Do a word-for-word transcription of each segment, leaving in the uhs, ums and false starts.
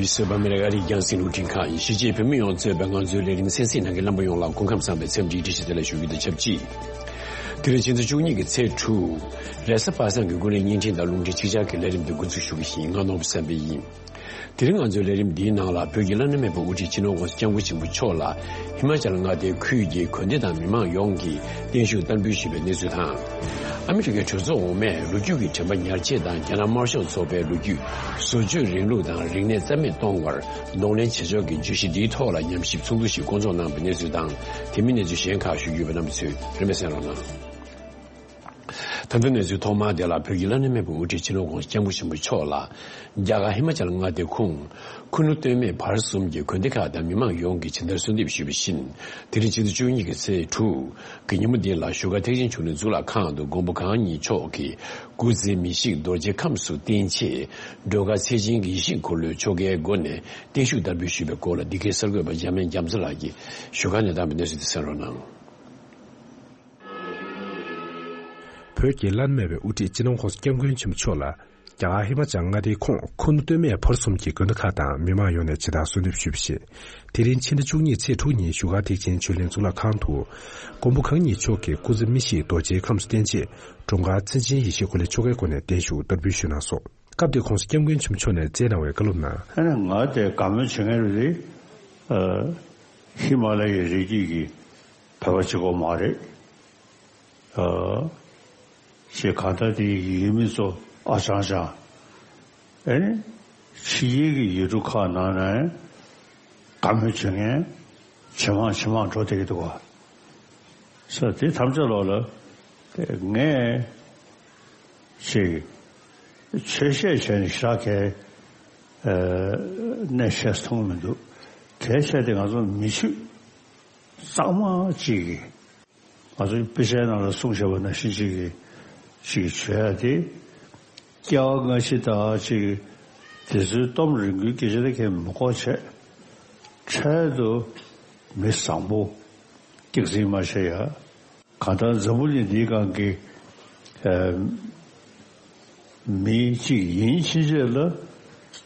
གསོལ་བ་མེ་ར་ཨ་རིའི་རྒྱང་སྲིང་རླུང་འཕྲིན་ཁང་ཡིན། གཞིས་བྱེས་བོད་མི་ཡོངས་གཙོས་པའི་ང་ཚོའི་ལས་རིམ་གསན་གཟིགས་གནང་མཁན་རྣམ་པ་ཡོངས་ལ་སྐུ་ཁམས་བཟང་བའི་འཚམས་འདྲིའི་བཀྲ་ཤིས་བདེ་ལེགས་ཞུ་རྒྱུ་དང་ཆབས་ཅིག་དེ་རིང་ཕྱི་ཚེས་བཅུ་གཉིས་ཀྱི་ཚེས་དྲུག་རེས་གཟའ་པ་སངས་ཀྱི་ཀུན་གླེང་བརྙན་འཕྲིན་དང་རླུང་འཕྲིན་ཆིག་ཆར་གྱི་ལས་རིམ་འདི་འགོ་འཛུགས་ཞུ་གི་ཡིན། ང་ནོར་བུ་བསམ་འཕེལ་ཡིན། དེ་རིང་ང་ཚོའི་ལས་རིམ་འདིའི་ནང་ལ་བོད་ཀྱི་བླ་ན་མེད་པའི་དབུ་ཁྲིད་སྤྱི་ནོར་༸གོང་ས་༸སྐྱབས་མགོན་ཆེན་པོ་མཆོག་ལ་ཧི་མ་ཅལ་མངའ་སྡེའི་ཁུལ་གྱི་དགོན་སྡེ་དང་མི་མང་ཡོངས་ཀྱིས་བརྟན་བཞུགས་བསྟར་འབུལ་ཞུས་པའི་གནས་ཚུལ་དང་། ཨ་མི་རི་ཀའི་གྲོས་ཚོགས་འོག་མས་ལོ་རྒྱུས་ཀྱི་དྲན་པ་ཉར་ཆེད་དང་རྒྱ་ནག་དམར་ཤོག་ཚོགས་པའི་ལོ་རྒྱུས། བཟོ་བཅོས་རིང་ལུགས་དང་རིག་གནས་རྩ་མེད་གཏོང་བར་གདོང་ལེན་བྱེད་ཕྱོགས་ཀྱི་བརྗོད་གཞི་འདིའི་ཐོག་ལ་ཉམས་ཞིབ་ཚོགས་འདུ་ཞིག་བསྐོང་ཚོགས་གནང་བའི་གནས་ཚུལ་དང་། དེ་མིན་གནས་ཚུལ་གཞན་ཁག་ཞུ་རྒྱུ་ཡོད་པ། རྣམ་པ་ཚོས་རིམ་པས་གསན་རོགས་གནང་། ད་ལྟ་གནས་ཚུལ་ཐོག་མ་དེ་ལ། བོད་ཀྱི་བླ་ན་མེད་པའི་དབུ་ཁྲིད་སྤྱི་ནོར་༸གོང་ས་༸སྐྱབས་མགོན་ཆེན་པོ་མཆོག་ལ། རྒྱ་གར་ཧི་མ་ཅལ་མངའ་སྡེ་ཁོངས་ཁུ་ནུ་སྟོད་སྨད་བར་གསུམ་གྱི་དགོན་སྡེ་ཁག་དང་མི་མང་ཡོངས་ཀྱིས་ཇི་ལྟར་གསོལ་འདེབས་ཞུས་པ་བཞིན། དེ་རིང་ཕྱི་ཚེས་བཅུ་གཉིས་ཀྱི་ཚེས་དྲུག་གི་ཉིན་མོ་འདི་ལ་བཞུགས་སྒར་ཐེག་ཆེན་ཆོས་གླིང་གཙུག་ལག་ཁང་དུ་མགོན་པོ་གང་ཉིད་མཆོག་གི་སྐུ་ཚེ་མི་ཤིགས་རྡོ་རྗེ་ཁམས་སུ་བརྟན་ཆེད། སྒྲོལ་དཀར་ཚེ་ཆེན་གྱི་ཡེ་ཤེས་འཁོར་ལོའི་ཆོ་གའི་སྒོ་ནས་བརྟན་བཞུགས་བསྟར་འབུལ་ཞུས་པའི་སྐོར་ལ། འདི་གའི་གསར་འགོད་པ་འཇམ་དབྱངས་རྒྱ་མཚོ་ལགས་ཀྱིས་བཞུགས་སྒར་ནས་བཏང་བའི་གནས་ཚུལ་དེ་གསན་རོགས་གནང་། བོད་ཀྱི་བླ་ན་མེད་པའི་དབུ་ཁྲིད་སྤྱི་ནོར་༸གོང་ས་༸སྐྱབས་མགོན་ཆེན་པོ་མཆོག་ལ། རྒྱ་གར་ཧི་མ་ཅལ་མངའ་སྡེའི་ཁོངས་ཁུ་ནུ་སྟོད་སྨད་བར་གསུམ་གྱི་དགོན་སྡེ་ཁག་དང་མི་མང་ཡོངས་ནས་ཇི་ལྟར་གསོལ་འདེབས་ཞུས་པ་ཞིག་དེ་རིང་ཕྱི་ཟླ་བཅུ་གཉིས་ཚེས་དྲུག་ཉིན་བཞུགས་སྒར་ཐེག་ཆེན་ཆོས་གླིང་གཙུག་ལག་ཁང་དུ། མགོན་པོ་གང་ཉིད་མཆོག་གི་སྐུ་ཚེ་མི་ཤིགས་རྡོ་རྗེ་ཁམས་སུ་བརྟན་ཆེད། སྒྲོལ་དཀར་མཚན་ཅན་ཡེ་ཤེས་འཁོར་ལོའི་ཆོ་གའི་སྒོ་ནས་བརྟན་བཞུགས་བསྟར་འབུལ་ཞུས་གནང་སོང་། སྐབས་དེར་༸གོང་ས་༸སྐྱབས་མགོན་ཆེན་པོ་མཆོག་ནས་སྩལ་གནང་བའི་བཀའ་སློབ་ནང་། ཨ་ནི་ང་དེ་བཀའ་མོལ་བྱེད་མཁན་རེད་དེ། ཨ། ཧི་མ་ལ་ཡའི་རི་རྒྱུད་ཀྱི་བོད་པ་གཅིག་པོ་མ་རེད། ཨ། ཞེས་གང་ལྟར་དེ་ཡུལ་མི་ཚོ་ཨ་ཅང་ཅང་། ཨེ་ནི། ཕྱི་རྒྱལ་གྱི་ཡུལ་གྲུ་ཁག་ནང་ནས་བཀའ་མོལ་བྱེད་མཁན་ཇེ་མང་ཇེ་མང་འགྲོ་བསྡད་ཀྱི་འདུག་ག། ས་དེ་ཐམས་ཅད་ལོག་ལ་དེ་ངས་ཅིག་ཆོས་བཤད་བྱས་ནས་ཞེ་དྲག་གལ་གནད་ཆེ་མཐོང་མི་འདུག། གལ་ཆེ་དེ་ང་ཚོ་མི་ཆོས་གཙང་མ་ཅིག་གིས། ང་ཚོའི་དཔེ་ཆའི་ནང་ལ་གསུངས་བཞག་པ་ནང་བཞིན་ཅིག་གིས་ཅིག་བྱོས་ཡ་དེ། སྐྱེ་བ་སྔ་ཕྱི་དང་ཅིག་དེ་ཚོའི་གཏམ་རིང་པོའི་སྐད་ཆ་དེ་གས་མི་གོ་བྱས། འཕྲལ་དུ་མི་བཟང་པོ་སྐྱག་རྫུན་མ་བཤད་ཡ། གང་ལྟར་འཛམ་བུ་གླིང་འདིའི་སྒང་གི་ཨ་མི་གཅིག་ཡིན་ཕྱིན་ཆད་ལ།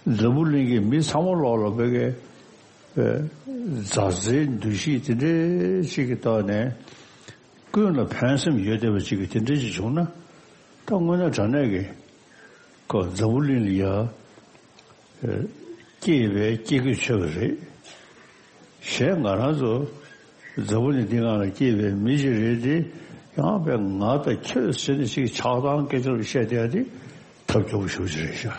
འཛམ་བུ་གླིང་གི་མི་ཚང་མ་ལོག་ལ་བོད་ཀྱི་མཛའ་བརྩེའི་འདུ་ཤེས་དེ་འདྲའི་ཅིག་གི་ཐོག་ནས། ཀུན་ལ་ཕན་སེམས་ཡོད་བསྡད་པ་ཅིག་གི་དེ་འདྲ་ཅིག་བྱུང་ན། ད་དངོས་གནས་དྲང་གནས་ཀྱི་ཁོ་འཛམ་བུ་གླིང་ལ་ཡ་སྐྱེས་པའི་སྐྱེ་དགུའི་ཆོས་པ་རེད། གཞན་ང་རང་ཚོ་འཛམ་བུ་གླིང་འདི་སྒང་ལ་སྐྱེས་པའི་མི་ཞིག་རེད་དེ། ཡང་པའི་ང་དང་ཁྱོད་ཟེར་ནས་ཅིག་ཆགས་སྡང་སྐད་ཆ་བཤད་བསྡད་ཡ་དེ་ཐབས་སྐྱོ་པོ་ཞེ་པོ་ཅིག་རེད་ཤག།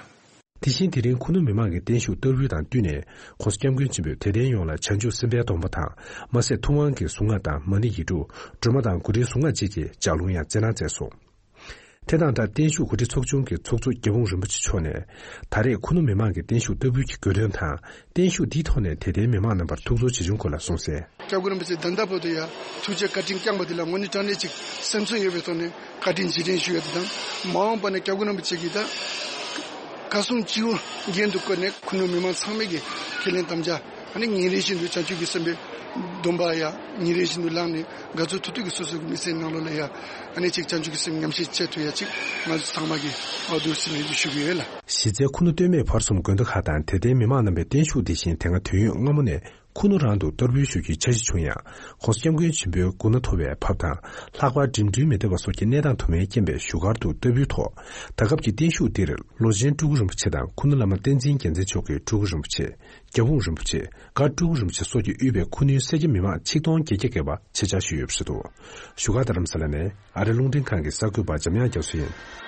དེ་བཞིན་དེ་རིང་ཁུ་ནུ་མི་མང་གིས་བརྟན་བཞུགས་བསྟར་འབུལ་དང་བསྟུན་ནས། ༸གོང་ས་༸སྐྱབས་མགོན་ཆེན་པོས་དད་ལྡན་ཡོངས་ལ་བྱང་ཆུབ་སེམས་དཔའི་སྡོམ་པ་དང་། མ་ཟད་ཐུབ་དབང་གི་གཟུངས་སྔགས་དང་མ་ཎི་ཡིག་དྲུག། སྒྲོལ་མ་དང་གུ་རུའི་གཟུངས་སྔགས་བཅས་ཀྱི་ལྗགས་ལུང་ཡང་སྩལ་གནང་མཛད་སོང་། དེ་དང་སྦྲགས་བརྟན་བཞུགས་གོ་སྒྲིག་ཚོགས་ཆུང་གི་ཚོགས་གཙོ་རྒྱལ་འབངས་རིན་པོ་ཆེ་མཆོག་ནས། ད་རེས་ཁུ་ནུ་མི་མང་གིས་བརྟན་བཞུགས་བསྟར་འབུལ་གྱི་དགོས་དོན་དང་། བརྟན་བཞུགས་འདིའི་ཐོག་ནས་དད་ལྡན་མི་མང་རྣམ་པར་ཐུགས་ཚོར་ཇི་བྱུང་སྐོར་ལ་གསུངས་གསལ། སྐྱབས་མགོན་རིན་པོ་ཆེ་ད་ལྟ་བར་དུ་ཡང་ཐུགས་རྗེ་བཀའ་དྲིན་བསྐྱངས་པ་དེ་ལ་དངོས་གནས་དྲང་གནས་ཅིག་སེམས་ཚོར་ཡོད་པའི་ཐོག་ནས་བཀའ་དྲིན་རྗེས་དྲན་ཞུ་ཡ་དེ་དང་། མ་འོངས་པ་ནས་སྐྱབས་མགོན་རིན་པོ་ཆེ་གིས་ད་བཀའ་གསུང་སྤྱི་བོ་རྒྱན་དུ་བཀོད་ནས་ཁུ་ནུ་མི་མང་ཚང་མས་ཀྱི་ཁས་ལེན་དམ་བཅའ། ཨ་ནི་ཉིན་རེ་བཞིན་དུ་བྱང་ཆུབ་ཀྱི་སེམས་དཔའི་སྡོམ་པ་ཡ་ཉིན་རེ་བཞིན་དུ་བླངས་ནས། དགའ་ཚོར་ཐུབ་ཐུབ་ཀྱི་སོ་སོ་གི་མི་ཚེའི་ནང་ལོགས་ལ་ཡ། ཨ་ནི་ཅིག་བྱང་ཆུབ་ཀྱི་སེམས་ཉམས་བཞེས་བྱེད་ཐུབ་ཡ་ཅིག་ང་ཚོ་ཚང་མ་གིས་འོ་འདུག་སེ་ལེགས་འགྱུར་ཞུ་གི་ཡོད་ལ། གཞི་རྩའི་ཁུ་ནུ་སྟོད་སྨད་བར་གསུམ་དགོན་སྡེ་ཁག་དང་དད་ལྡན་མི་མང་རྣམ་པའི་བརྟན་བཞུགས་འདི་བཞིན་དེ་སྔ་དུས་ཡུན་སྔ་མོ་ནས་ཁུ་ནུ་རང་དུ་བསྟར་འབུལ་ཞུ་རྒྱུའི་འཆར་གཞི་བྱུང་ཡང་། ༸གོང་ས་༸སྐྱབས་མགོན་ཆེན་པོའི་སྐུ་ན་མཐོ་བའི་བབས་དང་། ལྷག་པར་འགྲིམ་འགྲུལ་མི་བདེ་བ་སོགས་ཀྱི་གནས་སྟངས་དུ་མའི་རྐྱེན་པས་བཞུགས་སྒར་དུ་བསྟར་འབུལ་ཐོག། ད་སྐབས་ཀྱི་བརྟན་བཞུགས་འདིར་ལོ་ཆེན་སྤྲུལ་སྐུ་རིན་པོ་ཆེ་དང་ཁུ་ནུ་བླ་མ་བསྟན་འཛིན་རྒྱལ་མཚན་མཆོག་གི་སྤྲུལ་སྐུ་རིན་པོ་ཆེ། རྒྱལ་འབངས་རིན་པོ་ཆེ། སྒར་སྤྲུལ་སྐུ་རིན་པོ་ཆེ་སོགས་ཀྱིས་དབུས་པའི་ཁུ་ནུའི་སེར་སྐྱ་མི་མང་ཆིག་སྟོང་བརྒྱད་བརྒྱ་བརྒལ་བ་ཆེད་བཅར་ཞུས་ཡོད་པ་རེད་འདུག། བཞུགས་སྒར་རྡ་རམ་ས་ལ་ནས་ཨ་རི་རླུང་འཕྲིན་ཁང་གི་གསར་འགོད་པ་འཇམ་དབྱངས་རྒྱ་མཚོ་ཡིན།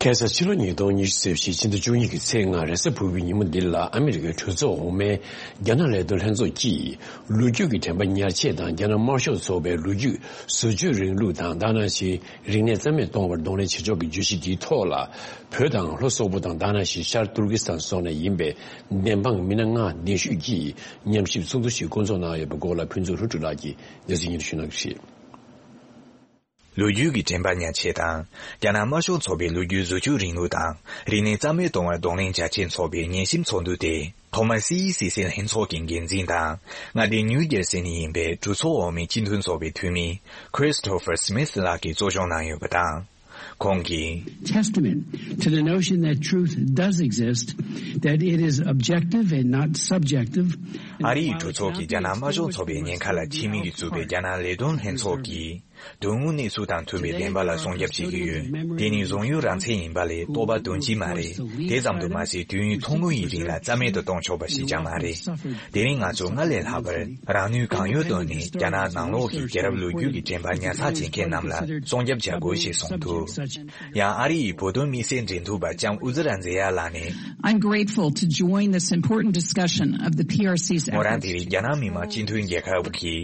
ཁ་སང་ཕྱི་ལོ་ཉིས་སྟོང་ཉི་ཤུ་རྩ་བཞི་ཕྱི་ཟླ་བཅུ་གཉིས་ཀྱི་ཚེས་ལྔ་རེས་གཟའ་ཕུར་བུའི་ཉིན་མོ་འདི་ལ་ཨ་མི་རི་ཀའི་གྲོས་ཚོགས་འོག་མའི་རྒྱ་ནག་ལས་དོན་ལྷན་ཚོགས་ཀྱིས། ལོ་རྒྱུས་ཀྱི་དྲན་པ་ཉར་ཆེད་དང་རྒྱ་ནག་དམར་ཤོག་ཚོགས་པའི་ལོ་རྒྱུས། བཟོ་བཅོས་རིང་ལུགས་དང་། ད་ག་ནང་བཞིན་རིག་གནས་རྩ་མེད་གཏོང་བར་གདོང་ལེན་བྱེད་ཕྱོགས་ཀྱི་བརྗོད་གཞི་འདིའི་ཐོག་ལ། བོད་དང་ལྷོ་སོག་པོ་དང་། ད་ག་ནང་བཞིན་ཤར་ཏུར་ཀི་སི་ཐན་སོགས་ནས་ཡིན་པའི་བདེན་དཔང་མི་སྣ་ལྔ་གདན་ཞུས་ཀྱིས་ཉམས་ཞིབ་ཚོགས་འདུ་ཞིག་བསྐོང་ཚོགས་གནང་ཡོད་པའི་སྐོར་ལ། ཕུན་ཚོགས་ལྷུན་གྲུབ་ལགས་ཀྱིས་གནས་ཚུལ་སྙན་སྒྲོན་ཞུ་གནང་གི་རེད། ལོ་རྒྱུས་ཀྱི་དྲན་པ་ཉར་ཆེད་དང་། རྒྱ་ནག་དམར་ཤོག་ཚོགས་པའི་ལོ་རྒྱུས། བཟོ་བཅོས་རིང་ལུགས་དང་། རིག་གནས་རྩ་མེད་གཏོང་བར་གདོང་ལེན་རྒྱ་ཆེར་འཚོགས་པའི་ཉན་ཞིབ་ཚོགས་འདུ་དེ། ཐོག་མར་སི་ཨི་སི་སི་ལྷན་ཚོགས་ཀྱི་འགན་འཛིན་དང་། མངའ་སྡེ་ནིའུ་ཇར་སི་ནས་ཡིན་པའི་གྲོས་ཚོགས་འོག་མའི་སྤྱི་མཐུན་ཚོགས་པའི་འཐུས་མི་Christopher Smith ལགས་ཀྱིས་གཙོ་སྐྱོང་གནང་ཡོད་པ་དང་། ཁོང་གིས། Testament to the notion that truth does exist, that it is objective and not subjective. ཨ་རིའི་གྲོས་ཚོགས་ཀྱིས་རྒྱ་ནག་དམར་ཤོག་ཚོགས་པའི་ཉེན་ཁ་ལ་ཕྱེ་མིག་གིས་བཙུགས་པའི་རྒྱ་ནག་ལས་དོན་ལྷན་ཚོགས་ཀྱིས། དོན་དངོས་གནས་ཚུལ་དང་མཐུན་པའི་བདེན་པ་ལ་སྲུང་སྐྱོབ་བྱེད་ཀྱི་ཡོད། དེ་ནི་གཞུང་ཡུལ་རང་བཙན་ཡིན་པ་ལས་རྟོག་པ་དོན་གཅིག་མ་རེད། དེ་ཙམ་དུ་མ་ཟད། དུས་ཡུན་ཐུང་ངུ་ཡི་རིང་ལ་རྩ་མེད་དུ་གཏོང་ཆོག་པ་ཞིག་ཀྱང་མ་རེད། དེ་རིང་ང་ཚོས་སྔར་ལས་ལྷག་པར་རང་ནུས་གང་ཡོད་བཏོན་ནས་རྒྱ་ནག་ནང་ལོགས་ཀྱི་རྒྱལ་རབས་ལོ་རྒྱུས་ཀྱི་དྲན་པ་ཉར་ཚགས་བྱེད་མཁན་རྣམས་ལ་སྲུང་སྐྱོབ་བྱ་དགོས་ཞེས་གསུངས་འདུག། ཡང་ཨ་རི་ཡི་བོད་དོན་དམིགས་བསལ་འབྲེལ་མཐུད་པ་ལྕམ་ཨུ་ཛི་ར་མཛེས་ཡ་ལགས་ནས། I'm grateful to join this important discussion of the P R C's efforts. མོ་རང་དེ་རིང་རྒྱ་ནག་མི་དམངས་སྤྱི་འཐུས་རྒྱལ་ཁབ་ཀྱི་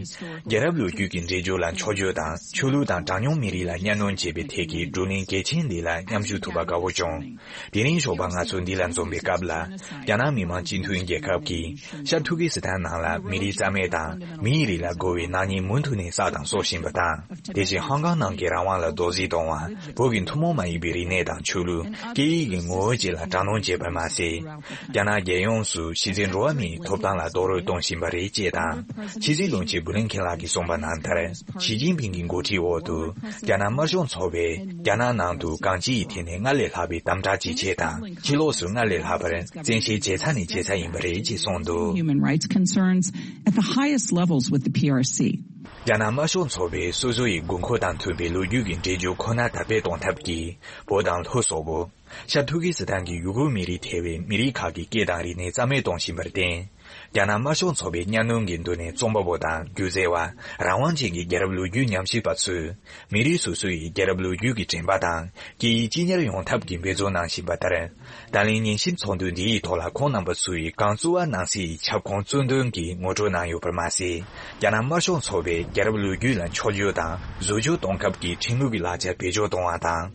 རྒྱལ་རབས་ལོ་རྒྱུས་ཀྱི་འགྲེལ་བརྗོད་ལ་འཕྱོག་བརྗོད་དང་། ཆོས་ལུགས་དང་གྲངས་ཉུང་མི་རིགས་ལ་གཉའ་གནོན་བྱེད་པའི་ཐད་ཀྱི་བགྲོ་གླེང་གལ་ཆེན་འདི་ལ་མཉམ་ཞུགས་ཐུབ་པ་དགའ་བོ་བྱུང་། དེ་རིང་ཞོགས་པ་ང་ཚོ་འདི་ལ་འཛོམས་པའི་སྐབས་ལ། རྒྱ་ནག་མི་དམངས་སྤྱི་འཐུས་རྒྱལ་ཁབ་ཀྱིས་ཤར་ཐུར་ཀི་སི་ཐན་ནང་ལ་མི་རིགས་རྩ་མེད་དང་མིའི་རིགས་ལ་རྒོལ་བའི་ནག་ཉེས་མུ་མཐུད་ནས་བསགས་དང་གསོག་བཞིན་པ་དང་། དེ་བཞིན་ཧང་ཀང་ནང་གི་རང་དབང་ལ་རྡོག་རྫིས་གཏོང་བ། བོད་ཀྱི་ཐུན་མོང་མ་ཡིན་པའི་རིག་གནས་དང་ཆོས་ལུགས། སྐད་ཡིག་གི་ངོ་བོ་བཅས་ལ་དྲག་གནོན་བྱས་པར་མ་ཟད། རྒྱ་ནག་རྒྱལ་ཡོངས་སུ་གཞི་རྩའི་འགྲོ་བ་མིའི་ཐོབ་ཐང་ལ་རྡོག་རོལ་གཏོང་བཞིན་པ་རེད་ཅེས་དང་། ཕྱི་སྲིད་བློན་ཆེན་བུ་ལིན་ཁེན་ལགས་ཀྱིས་གསུངས་པ་ནང་ལྟར། ཞི་ཅིན་ཕིང་གི་འགོ་ཁྲིད་འོག་ཏུ། རྒྱ་ནག་དམར་ཤོག་ཚོགས་པས་རྒྱ་ནག་ནང་དུ་གང་ཅིའི་ཐད་ནས་སྔར་ལས་ལྷག་པའི་དམ་དྲག་ཇེ་ཆེ་དང་། ཕྱི་ལོགས་སུ་སྔར་ལས་ལྷག་པར་བཙན་ཤེད་ཇེ་ཚ་ནས་ཇེ་ཚ་ཡིན་པ་རེད་ཅེས་གསུངས་འདུག། Human rights concerns at the highest levels with the P R C. རྒྱ་ནག་དམར་ཤོག་ཚོགས་པས་སོ་སོ་ཡི་དགོས་མཁོ་དང་མཐུན་པའི་ལོ་རྒྱུས་ཀྱི་འགྲེལ་བརྗོད་ཁོ་ན་དར་སྤེལ་གཏོང་ཐབས་ཀྱིས། བོད་དང་ལྷོ་སོག་པོ། ཤར་ཐུར་ཀི་སི་ཐན་གྱི་ཡུ་གུར་མི་རིགས་ཐེ་བའི་མི་རིགས་ཁག་གི་སྐད་དང་རིག་གནས་རྩ་མེད་གཏོང་བཞིན་པར་བརྟེན། རྒྱ་ནག་དམར་ཤོག་ཚོགས་པའི་གཉའ་གནོན་གྱི་མདུན་ནས་རྩོམ་པ་པོ་དང་སྒྱུ་རྩལ་བ། རང་དབང་ཅན་གྱི་རྒྱལ་རབས་ལོ་རྒྱུས་ཉམས་ཞིབ་པ་ཚོས། མི་རིགས་སོ་སོ་ཡི་རྒྱལ་རབས་ལོ་རྒྱུས་ཀྱི་དྲན་པ་དང་སྐད་ཡིག་གཅིག་གཉེར་ཡོང་ཐབས་ཀྱི་འབད་རྩོལ་གནང་བཞིན་པ་ལྟར། ད་ལན་ཉན་ཞིབ་ཚོགས་འདུ་འདི་ཡི་ཐོག་ལ་ཁོང་རྣམ་པ་ཚོ་ཡིས་གངས་བཙུགས་པ་ནང་གསེས་ཡི་ཁྱབ་ཁོངས་གཙོ་འདོན་གྱིས་ངོ་སྤྲོད་གནང་ཡོད་པར་མ་ཟད། རྒྱ་ནག་དམར་ཤོག་ཚོགས་པའི་རྒྱལ་རབས་ལོ་རྒྱུས་ལ་འཕྱོག་བརྗོད་དང་བཟོ་བཅོས་གཏོང་སྐབས་ཀྱི་ཁྲིམས་ལུགས་ཀྱི་ལག་ཆ་བེད་སྤྱོད་གཏོང་བ་དང་།